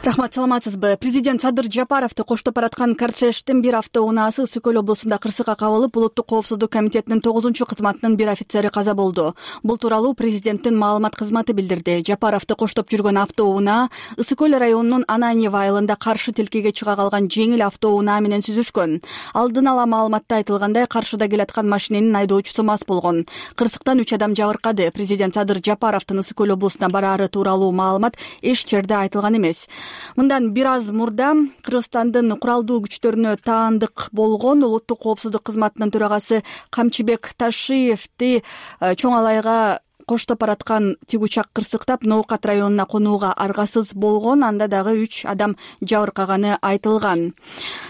Рахмат, саламатсызбы? Президент Садыр Жапаровду коштоп бараткан кортеждин бир автоунаасы Ысык көл облусунда кырсыкка кабылып, улуттук коопсуздук комитетинин 9-чу кызматынын бир офицери каза болду. Бул тууралуу президенттин маалымат кызматы билдирди. Жапаровду коштоп жүргөн автоунаа Ысык көл районунун Ананьево айылында каршы тилкеге чыга калган жеңил автоунаа менен сүзүшкөн. Алдын ала маалыматта айтылгандай, каршыда келаткан машиненин айдоочусу мас болгон. Кырсыктан 3 адам жабыркады. Президент Садыр Жапаровдун Ысык көл облусуна бараары тууралуу маалымат эч жерде айтылган эмес. Мындан бир аз мурда Кыргызстандын куралдуу күчтөрүнө таандык болгон улуттук коопсуздук кызматынын төрагасы Камчыбек Ташиевди чоң алайга коштоп бараткан тигучак кырсыктап Ноокат районуна конууга аргасыз болгон, анда дагы 3 адам жабыркаганы айтылган.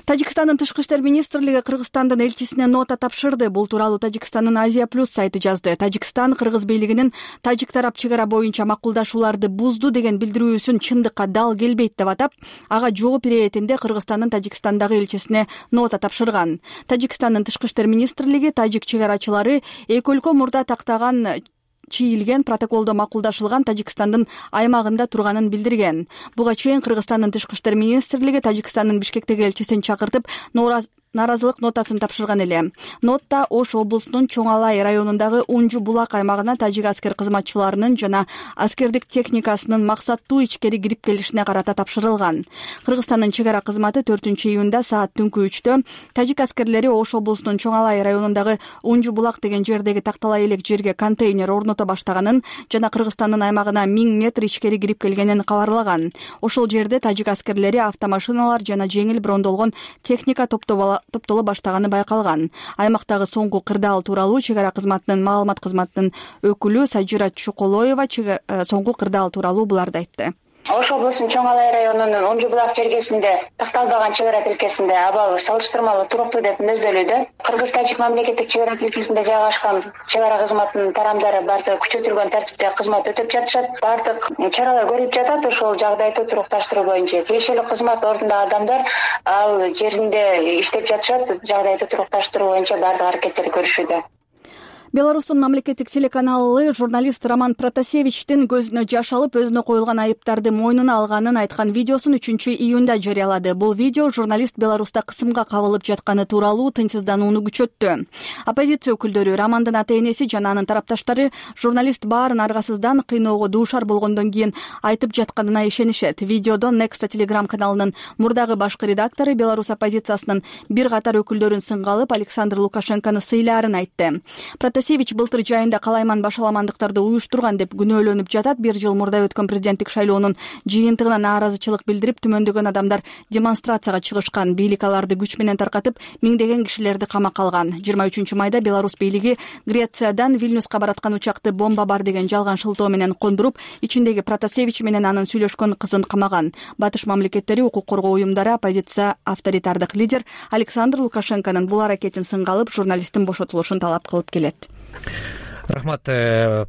Тажикстандын тышкы иштер министрлиги Кыргызстандын элчисине нота тапшырды. Бул тууралуу Тажикстандын Азия Плюс сайты жазды. Тажикстан Кыргыз бийлигинин тажик тарап чек ара боюнча макулдашууларды бузду деген билдирүүсүн чындыкка дал келбейт деп атап, ага жооп иретинде Кыргызстандын Тажикстандагы элчисине нота тапшырган. Тажикстандын тышкы иштер министрлиги тажик чек арачылары эки өлкө мурда тактаган чийилген протоколдо макулдашылган Тажикстандын аймагында турганын билдирген. Буга чейин Кыргызстандын тышкы иштер министрлиги Тажикстандын Бишкектеги элчисин чакыртып наразылык нотасын тапшырган эле. Нотта Ош облусунун Чоң Алай районундагы Унжу Булак аймагына тажик аскер кызматчыларынын жана аскердик техникасынын максаттуу ичкери кирип келишине карата тапшырылган. Кыргызстандын чек ара кызматы 4-июнда саат түнкү 3-тө тажик аскерлери Ош облусунун Чоң Алай районундагы Унжу Булак деген жердеги такталай элек жерге контейнер орното баштаганын жана Кыргызстандын аймагына 1000 метр ичкери кирип келгенин кабарлаган. Ошол жерде тажик аскерлери автомашиналар жана жеңил брондолгон техника топтоло баштаганы байкалган. Аймактагы соңку кырдаал тууралуу чек ара кызматынын маалымат кызматынын өкүлү Сажира Чуколоева соңку кырдаал тууралуу буларды айтты. Ош облусунун Чоң Алай районунун Унжу Булак жергесинде такталбаган чек ара тилкесинде абалы салыштырмалуу туруктуу деп мүнөздөлүүдө. Кыргыз-тажик мамлекеттик чек ара тилкесинде жайгашкан чек ара кызматынын тарамдары бардыгы күчөтүлгөн тартипте кызмат өтөп жатышат. Бардык чаралар көрүлүп жатат. Ошол жагдайды турукташтыруу боюнча тиешелүү кызмат ордундагы адамдар ал жеринде иштеп жатышат. Жагдайды турукташтыруу боюнча бардык аракеттерди көрүшүүдө. Беларустун мамлекеттик телеканалы журналист Роман Протасевичтин көзүнө жаш алып өзүнө коюлган айыптарды мойнуна алганын айткан видеосун 3-июнда жарыялады. Бул видео журналист Беларуста кысымга кабылып жатканы тууралуу тынчсызданууну күчөттү. Оппозиция өкүлдөрү, Романдын ата-энеси жана анын тарапташтары журналист баарын аргасыздан кыйноого дуушар болгондон кийин айтып жатканына ишенишет. Видеодо Next Telegram каналынын мурдагы башкы редактору Беларусь оппозициясынын бир катар өкүлдөрүн сынга алып Александр Лукашенкону сыйлаарын айтты. Протасевич былтыр жайында калайман башаламандыктарды уюштурган деп күнөөлөнүп жатат. Бир жыл мурда өткөн президенттик шайлоонун жыйынтыгына нааразычылык билдирип, түмөндөгөн адамдар демонстрацияга чыгышкан. Бийлик аларды күч менен таркатып, миңдеген кишилерди камакка алган. 23-майда Беларусь бийлиги Грециядан Вильнюска бараткан учакты бомба бар деген жалган шылтоо менен кондуруп, ичиндеги Протасевич менен анын сүйлөшкөн кызын камаган. Батыш мамлекеттери, укук коргоо уюмдары, оппозиция, авторитардык лидер Александр Лукашенконун бул аракетин сынга алып, журналисттин бошотулушун талап кылып келет. Рахмат.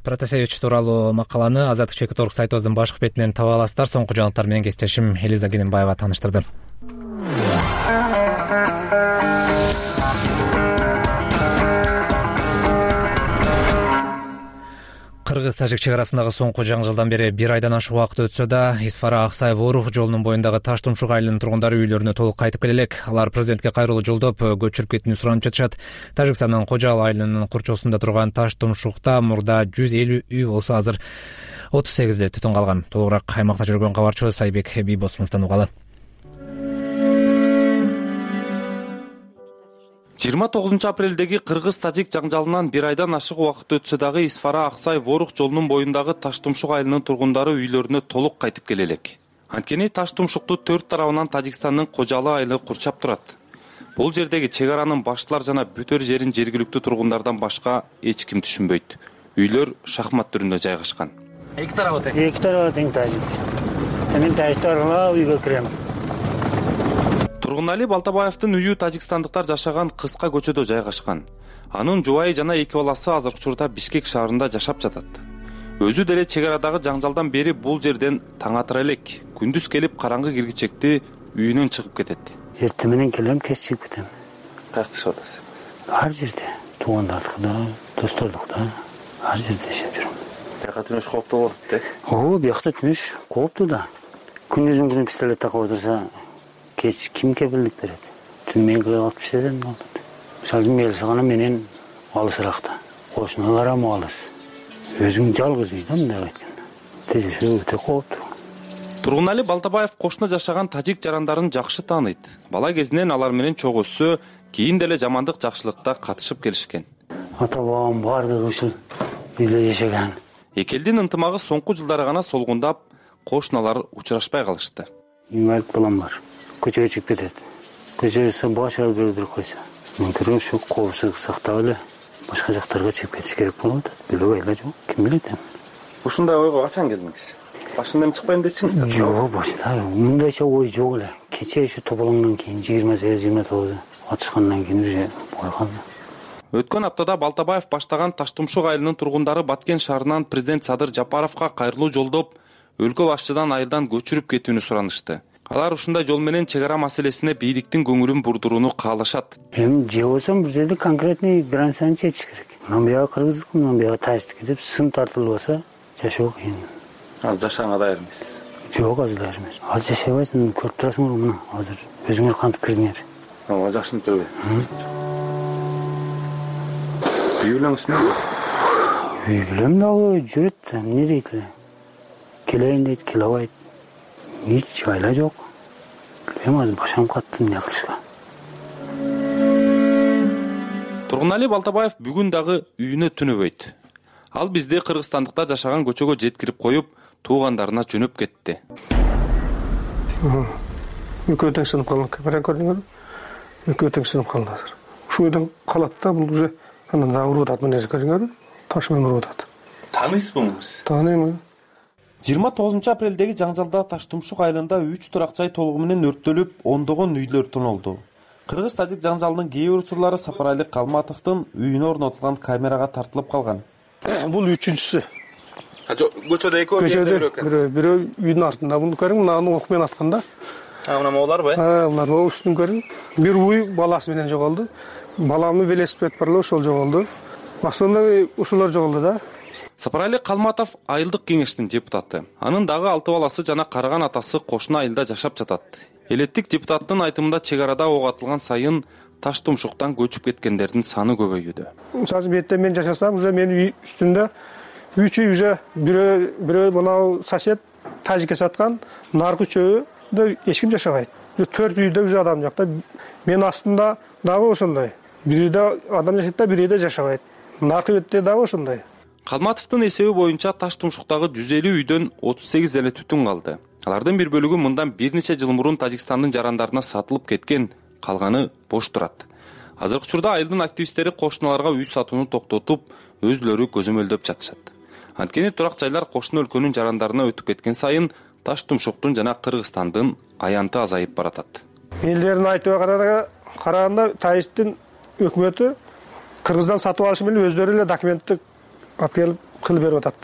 Протасевич тууралуу макаланы Азаттык Чекит сайтыбыздын башкы бетинен таба аласыздар. Соңку жаңылыктар менен кесиптешим Элиза Гененбаева тааныштырды. Кыргыз-Тажик чек арасындагы соңку жаңы жылдан бери бир айдан ашык убакыт өтсө да, Исфара-Аксай-Ворух жолунун боюндагы Таш Тумшук айылынын тургундары үйлөрүнө толук кайтып келе элек. Алар президентке кайрылуу жолдоп, көчүрүп кетүүнү суранып жатышат. Тажикстандын Кожал айылынын курчоосунда турган Таш Тумшукта мурда 150 үй болсо, азыр 38 түтүн калган. Толугураак аймакта жүргөн кабарчыбыз Айбек Бийбосуновдон угалы. 29 апрелдеги кыргыз-тажик жаңжалынан бир айдан ашык убакыт өтсө дагы Исфара-Аксай-Ворух жолунун боюндагы Таш Тумшук айылынын тургундары үйлөрүнө толук кайтып келе элек. Анткени Таш Тумшукту 4 тарабынан Тажикстандын Кожалы айылы курчап турат. Бул жердеги чек аранын баштылар жана бүтөр жерин жергиликтүү тургундардан башка эч ким түшүнбөйт. Үйлөр шахмат түрүндө жайгашкан. Эки тарабы тең тажик. Мен тажиктарга үйгө кирем. Тургунали Балтабаевдин үйү тажикстандыктар жашаган кыска көчөдө жайгашкан. Анын жубайы жана эки баласы азыркы учурда Бишкек шаарында жашап жатат. Өзү деле чек арадагы жаңжалдан бери бул жерден таң атыра элек. Күндүз келип караңгы киргичекти үйүнөн чыгып кетет. Эртең менен келем, кеч чыгып кетем. Тартышып атасыз. Ар жерде, туугандардыкта, достордукта, ар жерде жашап жүрөм. Бияка түнөш кооптуу болот да? Биякта түнөш кооптуу да. Күндүзүн күнү пистолет такып отурса, кеч ким кепилдик берет? Түн мен калып иштедим болот. Мисалы мел сагана менен алысыракта. Кошуналарым алыс. Өзүң жалгыз үй, мындай айтканда. Тежешүү өтө кооптуу. Тургунали Балтабаев кошуна жашаган тажик жарандарын жакшы тааныйт. Бала кезинен алар менен чогуу өссө, кийин деле жамандык жакшылыкта катышып келишкен. Ата-бабам бардыгы ушул үйдө жашаган. Эки элдин ынтымагы соңку жылдары гана солгундап, кошуналар учурашпай калышты. Инвалид балам бар. Көчөгө чыгып кетет. Көчөгө башка бир койсо. Мүмкүн ушу коопсуздук сактап эле башка жактарга чыгып кетиш керек болуп атат. Билбей эле жок. Ким билет эми. Ушундай ойго качан келдиңиз? Башында эми чыкпайм дечиңиз? Жок, башта мындайча ой жок эле. Кече ушу тополоңдон кийин 28-29 атышкандан кийин уже болгон. Өткөн аптада Балтабаев баштаган Таш Тумшук айылынын тургундары Баткен шаарынан президент Садыр Жапаровго кайрылуу жолдоп, өлкө башчыдан айылдан көчүрүп кетүүнү суранышты. Алар ушундай жол менен чек ара маселесине бийликтин көңүлүн бурдурууну каалашат. Эми же болсо бир жерде конкретный границаны чечиш керек. Мына бияга кыргыздык, мына бияга тажиктик деп сын тартылбаса, жашоо кыйын. Азыр жашаганга даяр эмессиз? Жок, азыр даяр эмес. Азыр жашабайсың, көрүп турасыңар мына. Азыр өзүңөр кантип кирдиңер. Ага, жакшынып келбейм. Үй бүлөңүзбү? Үй бүлөм дагы жүрөт, эмне дейт эле. Келейин дейт, келе албайт. Эч айла жок. Эми азыр башым катты, эмне кылышка. Тургунали Балтабаев бүгүн дагы үйүнө түнөбөйт. Ал бизди Кыргызстандыкта жашаган көчөгө жеткирип коюп, туугандарына жөнөп кетти. Экөө тең сынып калган, камера көрдүңөрбү? Экөө тең сынып калды азыр. Ушул үйдөн калат да, бул уже анан дагы уруп атат, мына көрдүңөрбү? Таш менен уруп атат. Тааныйсызбы? Тааныйм. 29 апрелдеги жаңжалда Таш Тумшук айылында 3 турак жай толугу менен өрттөлүп, ондогон үйлөр тонолду. Кыргыз-тажик жаңжалынын кээ бир учурлары Сапарали Калматовдун үйүнө орнотулган камерага тартылып калган. Бул үчүнчүсү. Көчөдө экөө бирөө үйдүн артында. Буну көрүң, мына ок менен атканда. Мына мооларбы? Булар үстүн көрүң. Бир уй баласы менен жоголду. Баламдын велосипед бар эле, ошол жоголду. основной ушулар жоголду да. Сапарали Калматов айылдык кеңештин депутаты. Анын дагы 6 баласы жана караган атасы кошуна айылда жашап жатат. Элеттик депутаттын айтымында чек арада ок атылган сайын Таш Тумшуктан көчүп кеткендердин саны көбөйүүдө. Мисалы бетте мен жашасам, уже менин үй үстүндө 3 үй уже бирөө мына сосед тажикке саткан, наркы чөбү эч ким жашабайт. 4 үйдө уже адам жок да. Мен астында дагы ошондой. Бирде адам жашайт да, бирде жашабайт. Наркы бетте дагы ошондой. Калматовдун эсеби боюнча Таш Тумшуктагы 150 үйдөн 38 эле түтүн калды. Алардын бир бөлүгү мындан бир нече жыл мурун Тажикстандын жарандарына сатылып кеткен, калганы бош турат. Азыркы учурда айылдын активисттери кошуналарга үй сатууну токтотуп, өзлөрү көзөмөлдөп жатышат. Анткени турак жайлар кошуна өлкөнүн жарандарына өтүп кеткен сайын Таш Тумшуктун жана Кыргызстандын аянты азайып баратат. Элдердин айтыбына караганда Тажиктин өкмөтү Кыргыздан сатып алышы менен өздөрү эле документтик алып келип кылып берип атат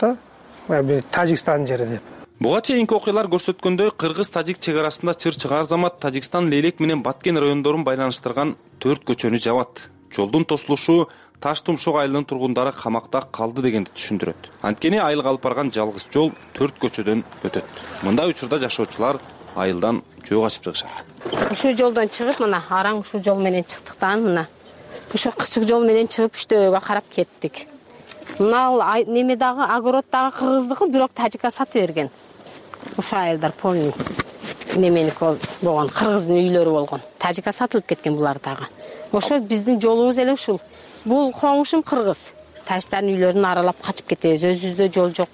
да. Тажикстандын жери деп. Буга чейинки окуялар көрсөткөндөй, Кыргыз-Тажик чек арасында чыр-чыгар замат Тажикстан Лейлек менен Баткен райондорун байланыштырган 4 көчөнү жабат. Жолдун тосулушу Таш Тумшук айылынын тургундары камакта калды дегенди түшүндүрөт. Анткени айылга алып барган жалгыз жол 4 көчөдөн өтөт. Мындай учурда жашоочулар айылдан жөө качып чыгышат. Ушул жолдон чыгып, мына араң ушул жол менен чыктыктан, мына ушул кычык жол менен чыгып үчтөөгө карап кеттик. Мына неме дагы огород дагы кыргыздыкы, бирок Тажикка сатып берген. Ушул айылдар полный неменики болгон, кыргыздын үйлөрү болгон. Тажикка сатылып кеткен булар дагы. Ошо биздин жолубуз эле ушул. Бул коңушум кыргыз. Тажиктардын үйлөрүн аралап качып кетебиз. Өзүбүздө жол жок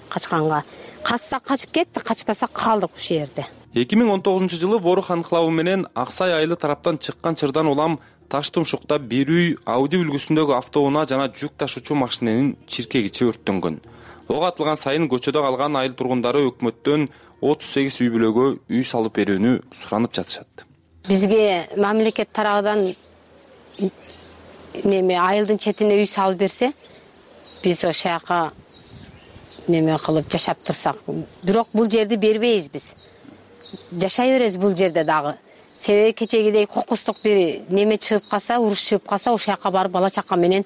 качканга. Качсак качып кеттик, качпасак калдык ушул жерде. 2019-жылы Ворух анклавы менен Аксай айылы тараптан чыккан чырдан улам Таш Тумшукта бир үй Ауди үлгүсүндөгү автоунаа жана жүк ташуучу машиненин чиркегичи өрттөнгөн. Ок атылган сайын көчөдө калган айыл тургундары өкмөттөн 38 үй бүлөгө үй салып берүүнү суранып жатышат. Бизге мамлекет тарабынан неме айылдын четине үй салып берсе, биз ошол жака неме кылып жашап турсак. Бирок бул жерди бербейбиз биз. Жашай беребиз бул жерде дагы. Себеби кечегидей кокустук бир неме чыгып калса, уруш чыгып калса, ошол жака барып бала чака менен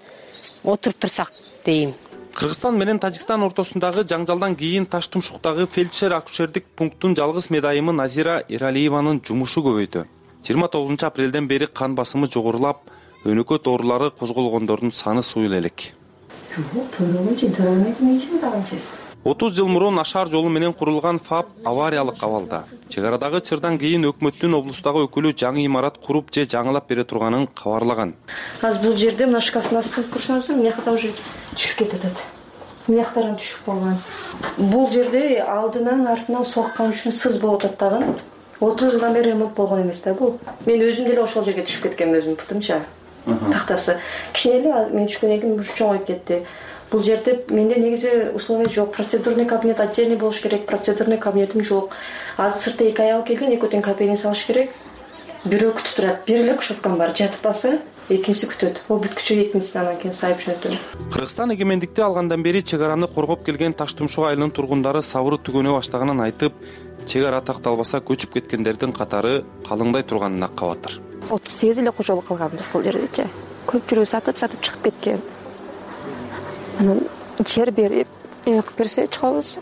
отуруп турсак дейм. Кыргызстан менен Тажикстан ортосундагы жаңжалдан кийин Таш Тумшуктагы фельдшер-акушердик пункттун жалгыз медайымы Назира Эралиеванын жумушу көбөйдү. 29-апрелден бери кан басымы жогорулап, өнөкөт оорулары козголгондордун саны суюл элек. 30 жыл мурун Ашар жолу менен курулган ФАП авариялык абалда. Чек арадагы чырдан кийин өкмөттүн облустагы өкүлү жаңы имарат куруп же жаңылап бере турганын кабарлаган. Азыр бул жерде мына шкафтын астына турсаңыздар, мынакта уже түшүп кетип атат. Мынактардан түшүп калган. Бул жерде алдынан артынан соккан үчүн сыз болуп атат дагы. 30 жылдан бери ремонт болгон эмес да бул. Мен өзүм деле ошол жерге түшүп кеткенмин, өзүм путумча. Тактасы. Кичине эле мен түшкөндөн кийин чоңоюп кетти. Бул жерде менде негизи условия жок. Процедурный кабинет отдельный болуш керек. Процедурный кабинетим жок. Азыр сыртта 2 аял келген, экөөтөн кабинет салыш керек. Бирөө күтүп турат. Бир эле кушоткам бар. Жатып калса, экинчиси күтөт. Ол бүткүчө экинчисинен анан кийин сайып жөнөтөм. Кыргызстан эгемендикти алгандан бери чек араны коргоп келген Таш Тумшук айылынын тургундары сабыры түгөнө баштаганын айтып, чек ара такталбаса көчүп кеткендердин катары калыңдай турганына кабатыр. 38 эле кожолук кылганбыз бул жердечи. Көпчүлүгү сатып чыгып кеткен. Анан жер берип, эме кылып берсе чыгабыз.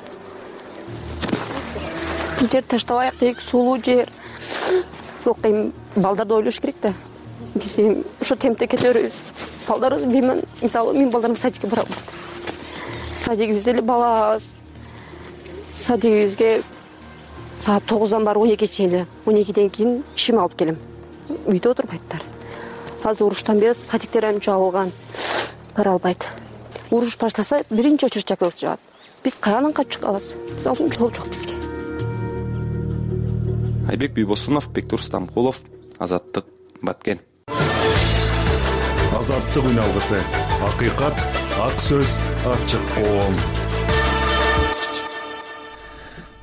Бул жер таштабайык дейик, сулуу жер. Бирок эми балдарды ойлош керек да. Биз эми ошо темпте кете беребиз. Балдарыбыз билмем, мисалы мен балдарым садикке барам. Садигибизде эле балабыз. Садигибизге саат 9-дан барып 12-чейин эле. 12-ден кийин ишим алып келем. Үйдө отурбайттар. Азыр уруштан бери садиктер эми жабылган. Бара албайт. Уруш баштаса биринчи очередь чакырып жаат. Биз каянан качып чыгабыз? Биз алдын жол жок бизге. Айбек Бийбосунов, Бектур Стамкулов, Азаттык, Баткен. Азаттык үн алгысы. Акыйкат, ак сөз, ачык коом.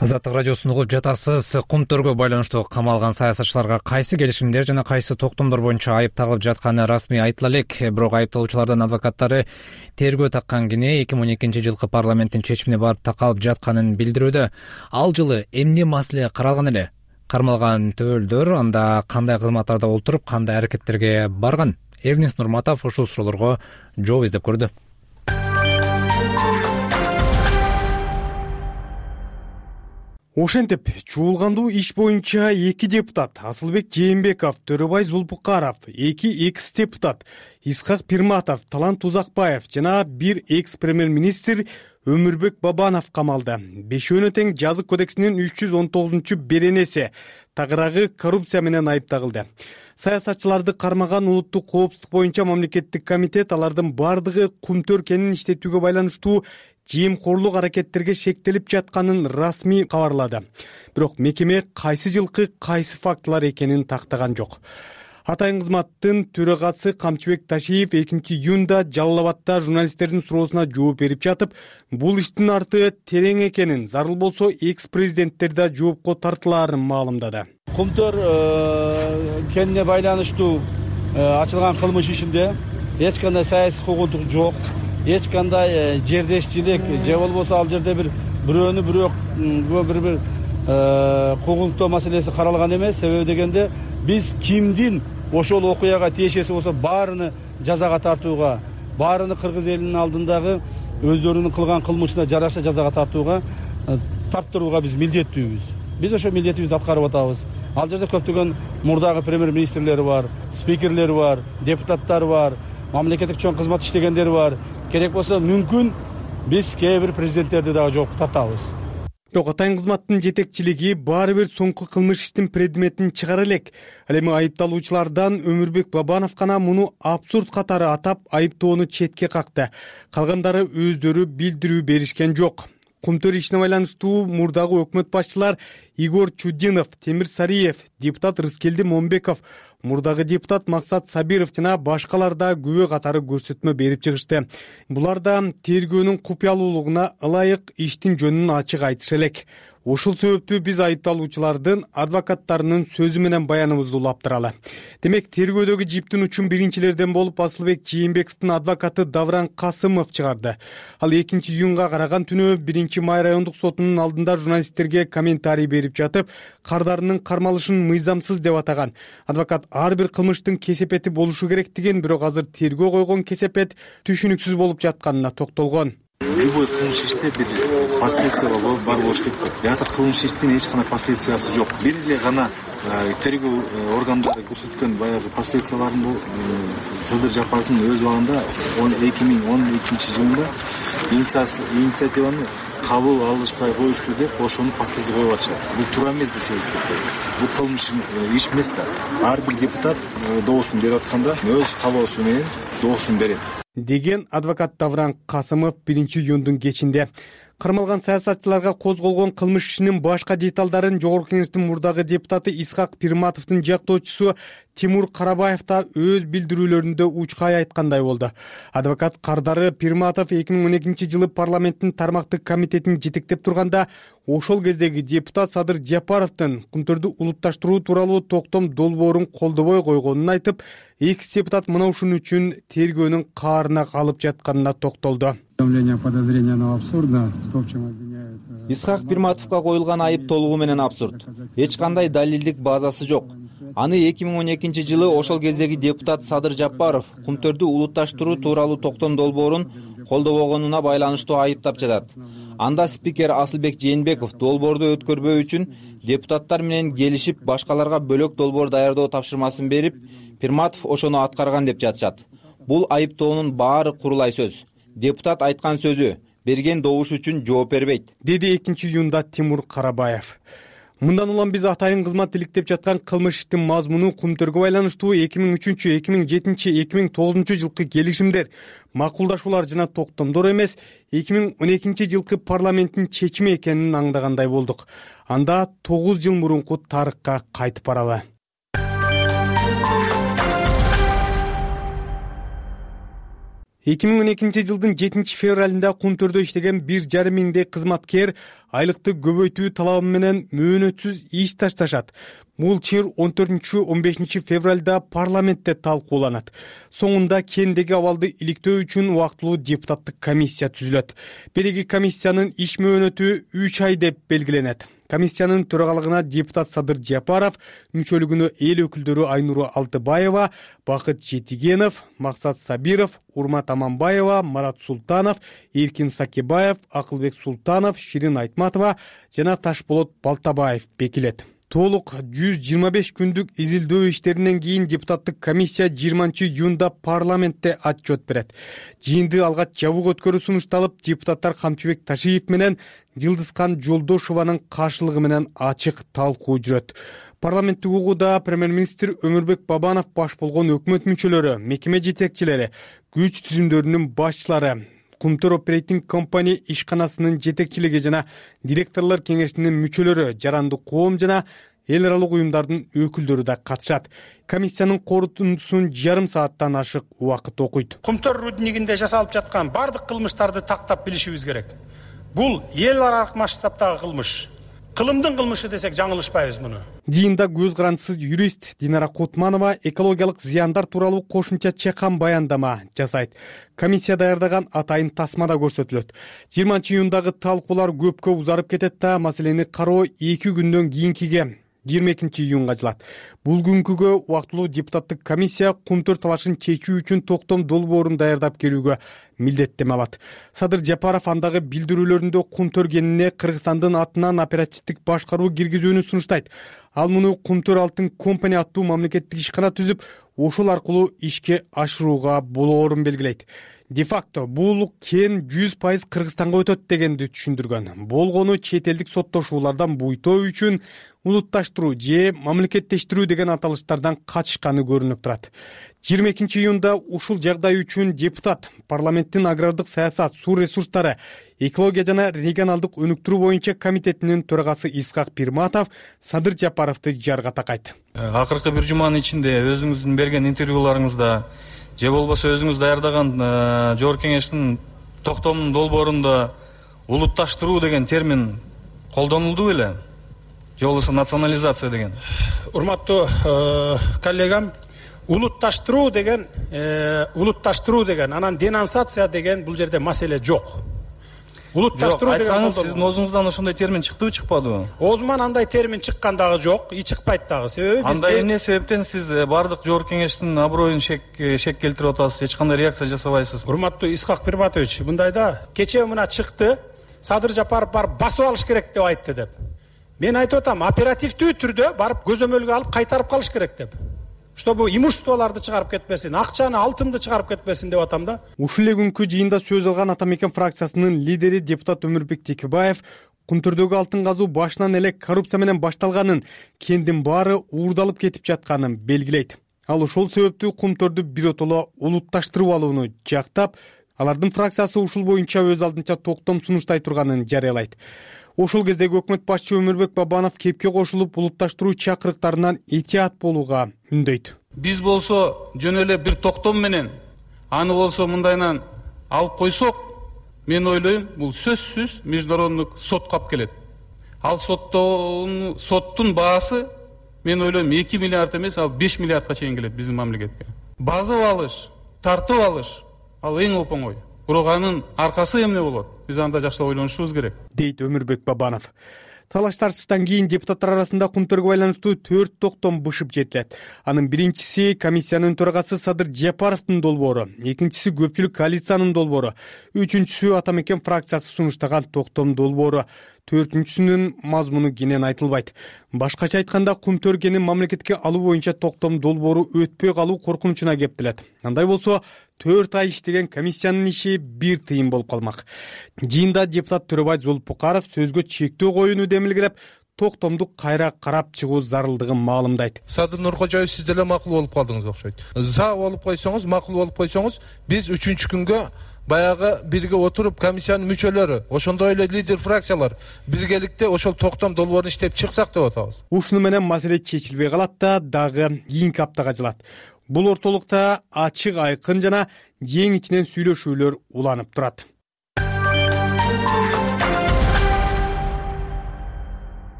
Азаттык радиосун угуп жатасыз. Кум төргө байланыштуу камалган саясатчыларга кайсы келишимдер жана кайсы токтомдор боюнча айып тагылып жатканы расмий айтыла элек. Бирок айыпталуучулардын адвокаттары тергөө таккан кини 2012-жылкы парламенттин чечимине барып такалып жатканын билдирүүдө. Ал жылы эмне маселе каралган эле? Кармалган төбөлдөр анда кандай кызматтарда олтуруп, кандай аракеттерге барган? Эрнест Нурматов ушул суроолорго жооп издеп көрдү. Ошентип, чуулгандуу иш боюнча 2 депутат Асылбек Жээнбеков, Төрөбай Зулпукаров, 2 экс-депутат Исхак Пирматов, Талант Узакбаев жана 1 экс-премьер-министр Өмүрбек Бабанов камалды. Бешөөнө тең жазык кодексинин 319-беренеси тагыраагы коррупция менен айыпталды. Саясатчыларды кармаган улуттук коопсуздук боюнча мамлекеттик комитет алардын бардыгы кумтөр кенин иштетүүгө байланыштуу жемкорлук аракеттерге шектелип жатканын расмий кабарлады. Бирок мекеме кайсы жылкы кайсы фактылар экенин тактаган жок. Атайын кызматтын төрагасы Камчыбек Ташиев 2-июнда Жалал Абадда журналисттердин суроосуна жооп берип жатып, бул иштин арты терең экенин, зарыл болсо экс-президенттер да жоопко тартылаарын маалымдады. Кумтөр кенине байланыштуу ачылган кылмыш ишинде эч кандай саясий куугунтук жок, эч кандай жердешчилик же болбосо ал жерде бирөөнү бирөө куугунтоо маселеси каралган эмес. Себеби дегенде биз кимдин ошол окуяга тиешеси болсо баарыны жазага тартууга, баарыны кыргыз элинин алдындагы өздөрүнүн кылган кылмышына жараша жазага тарттырууга биз милдеттүүбүз. Биз ошо милдетибизди аткарып атабыз. Ал жерде көптөгөн мурдагы премьер-министрлери бар, спикерлери бар, депутаттар бар, мамлекеттик чоң кызмат иштегендер бар. Керек болсо мүмкүн биз кээ бир президенттерди дагы жоопко тартабыз. Бирок атайын кызматтын жетекчилиги баары бир соңку кылмыш иштин предметин чыгара элек. Ал эми айыпталуучулардан Өмүрбек Бабанов гана муну абсурд катары атап айыптоону четке какты. Калгандары өздөрү билдирүү беришкен жок. Кумтөр ишине байланыштуу мурдагы өкмөт башчылар Игорь Чудинов, Темир Сариев, депутат Рыскелди Момбеков, мурдагы депутат Максат Сабиров жана башкалар да күбө катары көрсөтмө берип чыгышты. Булар да тергөөнүн купуялуулугуна ылайык иштин жөнүн ачык айтышы элек. Ушул себептүү биз айыпталуучулардын адвокаттарынын сөзү менен баяныбызды улаптыралы. Демек, тергөөдөгү жиптин учун биринчилерден болуп Асылбек Жээнбековдун адвокаты Давран Касымов чыгарды. Ал 2-июнга караган түнү 1-Май райондук сотунун алдында журналисттерге комментарий берип жатып, кардарынын кармалышын мыйзамсыз деп атаган. Адвокат ар бир кылмыштын кесепети болушу керектигин, бирок азыр тергөө койгон кесепет түшүнүксүз болуп жатканына токтолгон. Любой кылмыш иште бир последствия бар болуш керек. Ята кылмыш иштин эч кандай последствиясы жок. Бир эле гана тергөө органдары көрсөткөн баягы последствияларын бул Садыр Жапаровдун өз убагында 2012 жылында инициативаны кабыл алышпай коюшту деп ошонун последствия коюп атышат. Бул туура эмес десек, бул кылмыш иш эмес да. Ар бир депутат добушун берип атканда өз каалоосу менен добушун берет деген адвокат Давран Касымов 1-июндун кечинде. Кармалган саясатчыларга козголгон кылмыш ишинин башка деталдарын Жогорку Кеңештин мурдагы депутаты Исхак Пирматовдун жактоочусу Тимур Карабаев да өз билдирүүлөрүндө учкай айткандай болду. Адвокат кардары Пирматов 2012 жылы парламенттин тармактык комитетин жетектеп турганда ошол кездеги депутат Садыр Жапаровдун кумтөрдү улутташтыруу тууралуу токтом долбоорун колдобой койгонун айтып, экс-депутат мына ушун үчүн тергөөнүн каарына калып жатканына токтолду. Исхак Пирматовго коюлган айып толугу менен абсурд. Эч кандай далилдик базасы жок. Аны 2012 жылы ошол кездеги депутат Садыр Жапаров кумтөрдү улутташтыруу тууралуу токтом долбоорун колдобогонуна байланыштуу айыптап жатат. Анда спикер Асылбек Жээнбеков долбоорду өткөрбөө үчүн депутаттар менен келишип башкаларга бөлөк долбоор даярдоо тапшырмасын берип, Пирматов ошону аткарган деп жатышат. Бул айыптоонун баары курулай сөз. Депутат айткан сөзү, берген добуш үчүн жооп бербейт, деди 2-июнда Тимур Карабаев. Мындан улам биз атайын кызмат иликтеп жаткан кылмыш иштин мазмуну кумтөргө байланыштуу 2003, 2007, 2009 жылкы келишимдер, макулдашуулар жана токтомдор эмес, 2012 жылкы парламенттин чечими экенин аңдагандай болдук. Анда 9 жыл мурунку тарыхка кайтып баралы. Эки миң 12 жылдын 7 февралында кумтөрдө иштеген 1,5 миңдей кызматкер айлыкты көбөйтүү талабы менен мөөнөтсүз иш ташташат. Бул чыр 14-15 февралда парламентте талкууланат. Соңунда кендеги абалды иликтөө үчүн убактылуу депутаттык комиссия түзүлөт. Береги комиссиянын иш мөөнөтү 3 ай деп белгиленет. Комиссиянын төрагалыгына депутат Садыр Жапаров, мүчөлүгүнө эл өкүлдөрү Айнура Алтыбаева, Бакыт Жетигенов, Максат Сабиров, Урмат Аманбаева, Марат Султанов, Эркин Сакибаев, Акылбек Султанов, Ширин Айтматова жана Ташболот Балтабаев бекилет. Толук 125 күндүк изилдөө иштеринен кийин депутаттык комиссия 20-июнда парламентте отчет берет. Жыйынды алгач жабык өткөрүү сунушталып, депутаттар Камчыбек Ташиев менен Жылдызкан Жолдошованын каршылыгы менен ачык талкуу жүрөт. Парламенттик угууда премьер-министр Өмүрбек Бабанов баш болгон өкмөт мүчөлөрү, мекеме жетекчилери, күч түзүмдөрүнүн башчылары, Кумтөр оперейтинг компания ишканасынын жетекчилиги жана директорлор кеңешинин мүчөлөрү, жаранды коом жана эл аралык уюмдардын өкүлдөрү да катышат. Комиссиянын корутундусун жарым сааттан ашык убакыт окуйт. Кумтөр руднигинде жасалып жаткан бардык кылмыштарды тактап билишибиз керек. Бул эл аралык масштабтагы кылмыш. Кылымдын кылмышы десек жаңылышпайбыз муну. Жыйында көз карандысыз юрист Динара Кутманова экологиялык зыяндар тууралуу кошумча чакан баяндама жасайт. Комиссия даярдаган атайын тасма да көрсөтүлөт. 20-июндагы талкуулар көпкө узарып кетет да, маселени кароо 2 күндөн кийинкиге 22-июнга жылат. Бул күнкүгө убактылуу депутаттык комиссия Кумтөр талашын чечүү үчүн токтом долбоорун даярдап келүүгө милдеттеме алат. Садыр Жапаров андагы билдирүүлөрүндө Кумтөр кенине Кыргызстандын атынан оперативдик башкаруу киргизүүнү сунуштайт. Ал муну Кумтөр алтын компания аттуу мамлекеттик ишкана түзүп, ошол аркылуу ишке ашырууга болоорун белгилейт. Де-факто бул кен 100% Кыргызстанга өтөт дегенди түшүндүргөн. Болгону чет элдик соттошуулардан буйтоо үчүн улутташтыруу же мамлекеттештирүү деген аталыштардан качышканы көрүнүп турат. 22-июнда ушул жагдай үчүн депутат парламенттин агрардык саясат, суу ресурстары, экология жана регионалдык өнүктүрүү боюнча комитетинин төрагасы Исхак Пирматов Садыр Жапаровду жарга такайт. Акыркы бир жуманын ичинде өзүңүздүн берген интервьюларыңызда же болбосо өзүңүз даярдаган жогорку кеңештин токтомунун долбоорунда улутташтыруу деген термин колдонулду беле? Же болбосо национализация деген? Урматтуу коллегам, улутташтыруу деген анан денонсация деген бул жерде маселе жок. Улутташтыруу деген айтсаңыз, сиздин оозуңуздан ошондой термин чыктыбы, чыкпадыбы? Оозуман андай термин чыккан дагы жок, чыкпайт дагы. Себеби биз андай эмне себептен сиз бардык жогорку кеңештин аброюн шек келтирип атасыз, эч кандай реакция жасабайсыз? Урматтуу Исхак Пирматович, мындайда кечээ мына чыкты, Садыр Жапаров барып басып алыш керек деп айтты деп. Мен айтып атам, оперативдүү түрдө барып көзөмөлгө алып кайтарып калыш керек деп. Чтобы имуществоларды чыгарып кетпесин, акчаны, алтынды чыгарып кетпесин деп атам да. Ушул эле күнкү жыйында сөз алган Ата мекен фракциясынын лидери депутат Өмүрбек Текебаев Кумтөрдөгү алтын казуу башынан эле коррупция менен башталганын, кендин баары уурдалып кетип жатканын белгилейт. Ал ошол себептүү Кумтөрдү биротоло улутташтырып алууну жактап, алардын фракциясы ушул боюнча өз алдынча токтом сунуштай турганын жарыялайт. Ошол кездеги өкмөт башчы Өмүрбек Бабанов кепке кошулуп, улутташтыруу чакырыктарынан этият болууга үндөйт. Биз болсо жөн эле бир токтом менен аны болсо мындайынан алып койсок, мен ойлойм, бул сөзсүз международдук сотко алып келет. Ал соттун баасы мен ойлойм 2 миллиард эмес, ал 5 миллиардка чейин келет биздин мамлекетке. Базып алыш, тартып алыш ал эң оңой. Бирок анын аркасы эмне болот? Биз анда жакшы ойлонушубуз керек, дейт Өмүрбек Бабанов. Талаш-тартыштан кийин депутаттар арасында Кумтөргө байланыштуу 4 токтом бышып жетилет. Анын биринчиси комиссиянын төрагасы Садыр Жапаровдун долбоору, экинчиси көпчүлүк коалициянын долбоору, үчүнчүсү Ата мекен фракциясы сунуштаган токтом долбоору, төртүнчүсүнүн мазмуну кенен айтылбайт. Башкача айтканда, Кумтөр кенин мамлекетке алуу боюнча токтом долбоору өтпөй калуу коркунучуна кептелет. Андай болсо 4 ай иштеген комиссиянын иши бир тыйын болуп калмак. Жыйында депутат Төрөбай Золпукаров сөзгө чектөө коюуну демилгелеп, токтомду кайра карап чыгуу зарылдыгын маалымдайт. Садыр Нуркожоев, сиз деле макул болуп калдыңыз окшойт. За болуп койсоңуз, макул болуп койсоңуз, биз 3-күнгө баягы бирге отуруп комиссиянын мүчөлөрү, ошондой эле лидер фракциялар биргеликте ошол токтом долбоорун иштеп чыксак деп атабыз. Ушуну менен маселе чечилбей калат да, дагы кийинки аптага жылат. Бул ортолукта ачык, айкын жана жең ичинен сүйлөшүүлөр уланып турат.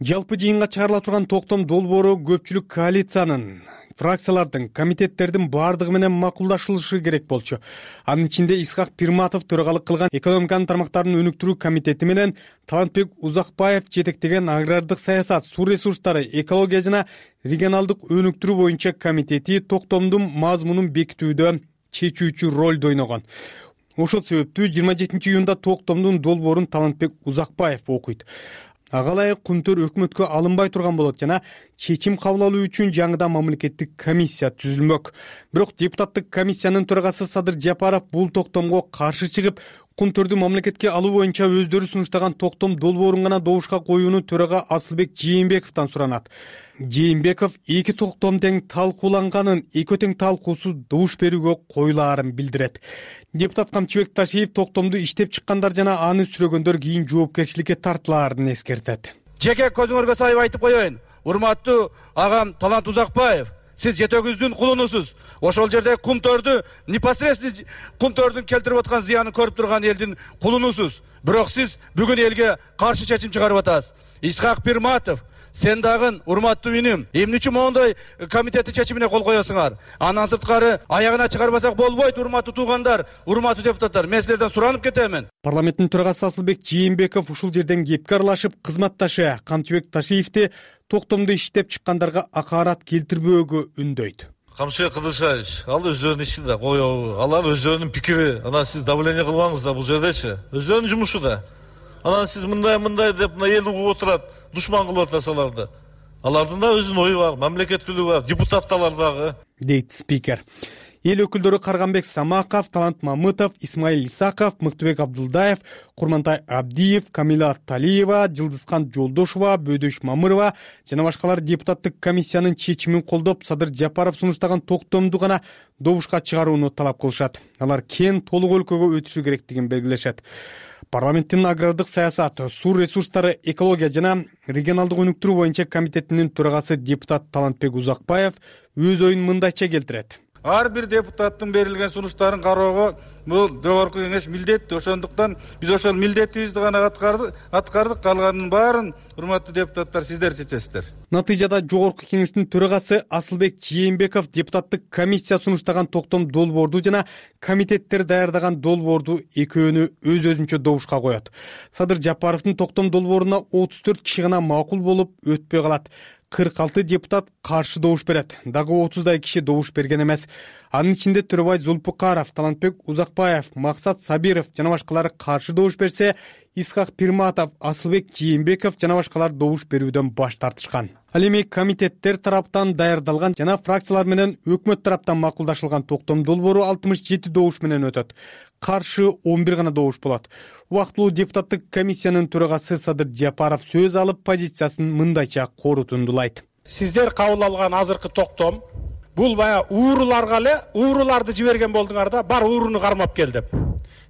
Жалпы жыйынга чыгарыла турган токтом долбоору көпчүлүк коалициянын фракциялардын, комитеттердин баардыгы менен макулдашылышы керек болчу. Анын ичинде Исхак Пирматов төрагалык кылган экономиканын тармактарын өнүктүрүү комитети менен Талантбек Узакбаев жетектеген агрардык саясат, суу ресурстары, экология жана регионалдык өнүктүрүү боюнча комитети токтомдун мазмунун бекитүүдө чечүүчү ролду ойногон. Ошол себептүү 27-июнда токтомдун долбоорун Талантбек Узакбаев окуйт. Ага ылайык Кумтөр өкмөткө алынбай турган болот жана чечим кабыл алуу үчүн жаңыдан мамлекеттик комиссия түзүлмөк. Бирок депутаттык комиссиянын төрагасы Садыр Жапаров бул токтомго каршы чыгып, Кумтөрдү мамлекетке алуу боюнча өздөрү сунуштаган токтом долбоорун гана добушка коюуну төрага Асылбек Жээнбековдон суранат. Жээнбеков эки токтом тең талкууланганын, экөө тең талкуусуз добуш берүүгө коюлаарын билдирет. Депутат Камчыбек Ташиев токтомду иштеп чыккандар жана аны сүрөгөндөр кийин жоопкерчиликке тартылаарын эскертет. Жеке көзүңөргө салып айтып коеюн. Урматтуу агам Талант Узакбаев, сиз жетөгүздүн кулунусуз. Ошол жерде Кумтөрдү непосредственно Кумтөрдүн келтирип аткан зыянын көрүп турган элдин кулунусуз. Бирок сиз бүгүн элге каршы чечим чыгарып атасыз. Исхак Пирматов, сен дагы урматтуу иним, эмне үчүн моундай комитеттин чечимине кол коесуңар? Андан сырткары аягына чыгарбасак болбойт, урматтуу туугандар, урматтуу депутаттар. Мен силерден суранып кетемин. Парламенттин төрагасы Асылбек Жээнбеков ушул жерден кепке аралашып, кызматташы Камчыбек Ташиевди токтомду иштеп чыккандарга акаарат келтирбөөгө үндөйт. Камчыбек Кыдыршаевич, ал өздөрүнүн иши да, коебу. Алар өздөрүнүн пикири. Анан сиз давление кылбаңыз да бул жердечи. Өздөрүнүн жумушу да. Анан сиз мындай деп мына эл угуп отурат, душман кылып атасыз аларды. Алардын да өзүнүн ою бар, мамлекеттүүлүгү бар, депутаттар дагы, дейт спикер. Эл өкүлдөрү Карганбек Самаков, Талант Мамытов, Исмаил Исаков, Мыктыбек Абдылдаев, Курмантай Абдиев, Камила Талиева, Жылдызкан Жолдошова, Бөдөш Мамырова жана башкалар депутаттык комиссиянын чечимин колдоп, Садыр Жапаров сунуштаган токтомду гана добушка чыгарууну талап кылышат. Алар кен толук өлкөгө өтүшү керектигин белгилешет. Парламенттин агрардык саясат, суу ресурстары, экология жана регионалдык өнүктүрүү боюнча комитетинин төрагасы депутат Талантбек Узакбаев өз оюн мындайча келтирет. Ар бир депутаттын берилген сунуштарын кароого бул жогорку кеңеш милдеттүү. Ошондуктан биз ошол милдетибизди гана аткардык. Калганын баарын урматтуу депутаттар сиздер чечесиздер. Натыйжада жогорку кеңештин төрагасы Асылбек Жээнбеков депутаттык комиссия сунуштаган токтом долбоорду жана комитеттер даярдаган долбоорду экөөнү өз-өзүнчө добушка коет. Садыр Жапаровдун токтом долбооруна 34 киши гана макул болуп өтпөй калат. 46 депутат каршы добуш берет. Дагы 30дай киши добуш берген эмес. Анын ичинде Төрөбай Зулпукаров, Талантбек Узакбаев, Максат Сабиров жана башкалар каршы добуш берсе, Исхак Пирматов, Асылбек Жээнбеков жана башкалар добуш берүүдөн баш тартышкан. Ал эми комитеттер тараптан даярдалган жана фракциялар менен өкмөт тараптан макулдашылган токтом долбоору 67 добуш менен өтөт. Каршы 11 гана добуш болот. Убактылуу депутаттык комиссиянын төрагасы Садыр Жапаров сөз алып, позициясын мындайча корутундулайт. Сиздер кабыл алган азыркы токтом бул бая ууруларга эле ууруларды жиберген болдуңар да, бар ууруну кармап кел деп.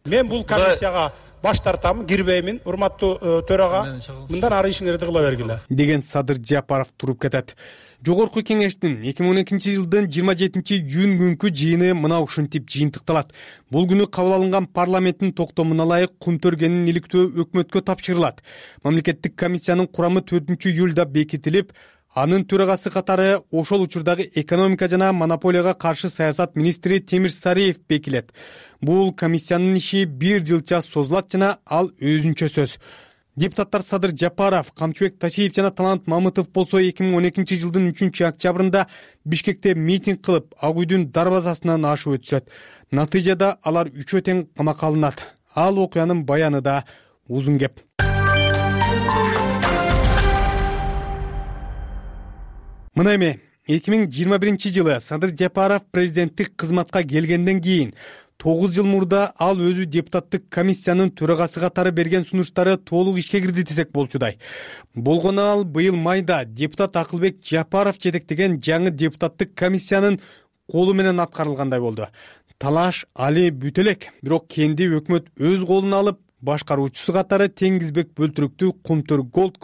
Мен бул комиссияга баш тартамын, кирбеймин. Урматтуу төрага, мындан ары ишиңерди кыла бергиле, деген Садыр Жапаров туруп кетет. Жогорку кеңештин 2012-жылдын 27-июнь күнкү жыйыны мына ушинтип жыйынтыкталат. Бул күнү кабыл алынган парламенттин токтомуна ылайык Кумтөргенин иликтөө өкмөткө тапшырылат. Мамлекеттик комиссиянын курамы 4-июлда бекитилип, анын төрагасы катары ошол учурдагы экономика жана монополияга каршы саясат министри Темир Сариев бекилет. Бул комиссиянын иши 1 жылча созулат жана ал өзүнчө сөз. Депутаттар Садыр Жапаров, Камчыбек Ташиев жана Талант Мамытов болсо 2012-жылдын 3-октябрында Бишкекте митинг кылып, Ак үйдүн дарбазасынан ашып өтүшөт. Натыйжада алар 3 тең камакка алынат. Ал окуянын баяны да узун кеп. Мына эми 2021-жылы Садыр Жапаров президенттик кызматка келгенден кийин 9 жыл мурда ал өзү депутаттык комиссиянын төрагасы катары берген сунуштары толук ишке кирди десек болчудай. Болгону ал быйыл майда депутат Акылбек Жапаров жетектеген жаңы депутаттык комиссиянын колу менен аткарылгандай болду. Талаш али бүт элек, бирок кенди өкмөт өз колуна алып, башкаруучусу катары Теңизбек Бөлтүрүктү Кумтөр Голд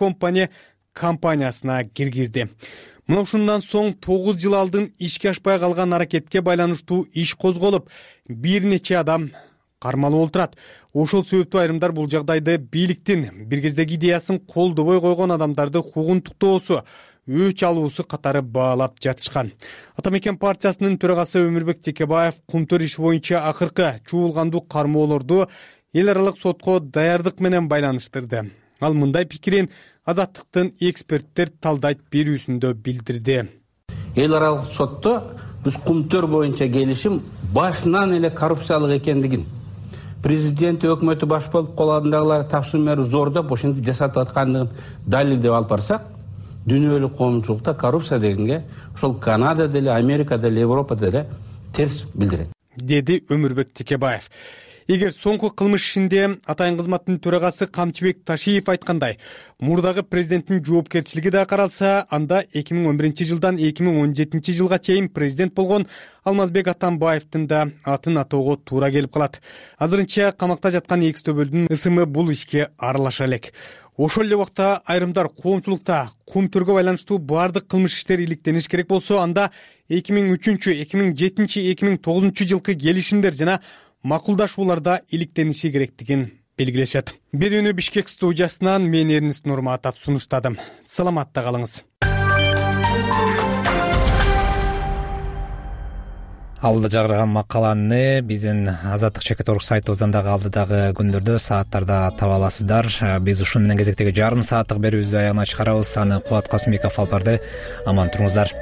компаниясына киргизди. Мына ушундан соң 9 жыл алдын ишке ашпай калган аракетке байланыштуу иш козголуп, бир нече адам кармалып отурат. Ошол себептүү айрымдар бул жагдайды бийликтин бир кездеги идеясын колдобой койгон адамдарды куугунтуктоосу, өч алуусу катары баалап жатышкан. Ата мекен партиясынын төрагасы Өмүрбек Текебаев кумтөр иши боюнча акыркы чуулгандуу кармоолорду эл аралык сотко даярдык менен байланыштырды. Ал мындай пикирин Азаттыктын эксперттер талдайт берүүсүндө билдирди. Эл аралык сотто биз кумтөр боюнча келишим башынан эле коррупциялык экендигин, президент өкмөтү баш болуп кол алдындагылар тапшырма берип зордоп ошентип жасатып аткандыгын далилдеп алып барсак, дүйнөлүк коомчулукта коррупция дегенге ошол Канадада эле, Америкада эле, Европада эле терс билдирет, деди Өмүрбек Текебаев. Эгер соңку кылмыш ишинде атайын кызматтын төрагасы Камчыбек Ташиев айткандай, мурдагы президенттин жоопкерчилиги да каралса, анда 2011-жылдан 2017 жылга чейин президент болгон Алмазбек Атамбаевдин да атын атоого туура келип калат. Азырынча камакта жаткан экс-төбөлдүн ысымы бул ишке аралаша элек. Ошол эле убакта айрымдар коомчулукта кумтөргө байланыштуу баардык кылмыш иштер иликтениш керек болсо, анда 2003, 2007, 2009 жылкы келишимдер жана макулдашууларда иликтениши керектигин белгилешет. Берүүнү Бишкек студиясынан мен Эрнист Нурматов сунуштадым. Саламатта калыңыз. Алдыда жагырган макаланы биздин Азаттык ЧК сайтыбыздан дагы алдыдагы күндөрдө сааттарда таба аласыздар. Биз ушун менен кезектеги жарым сааттык берүүбүздү аягына чыгарабыз. Аны Кубат Касымбеков алып барды. Аман туруңуздар.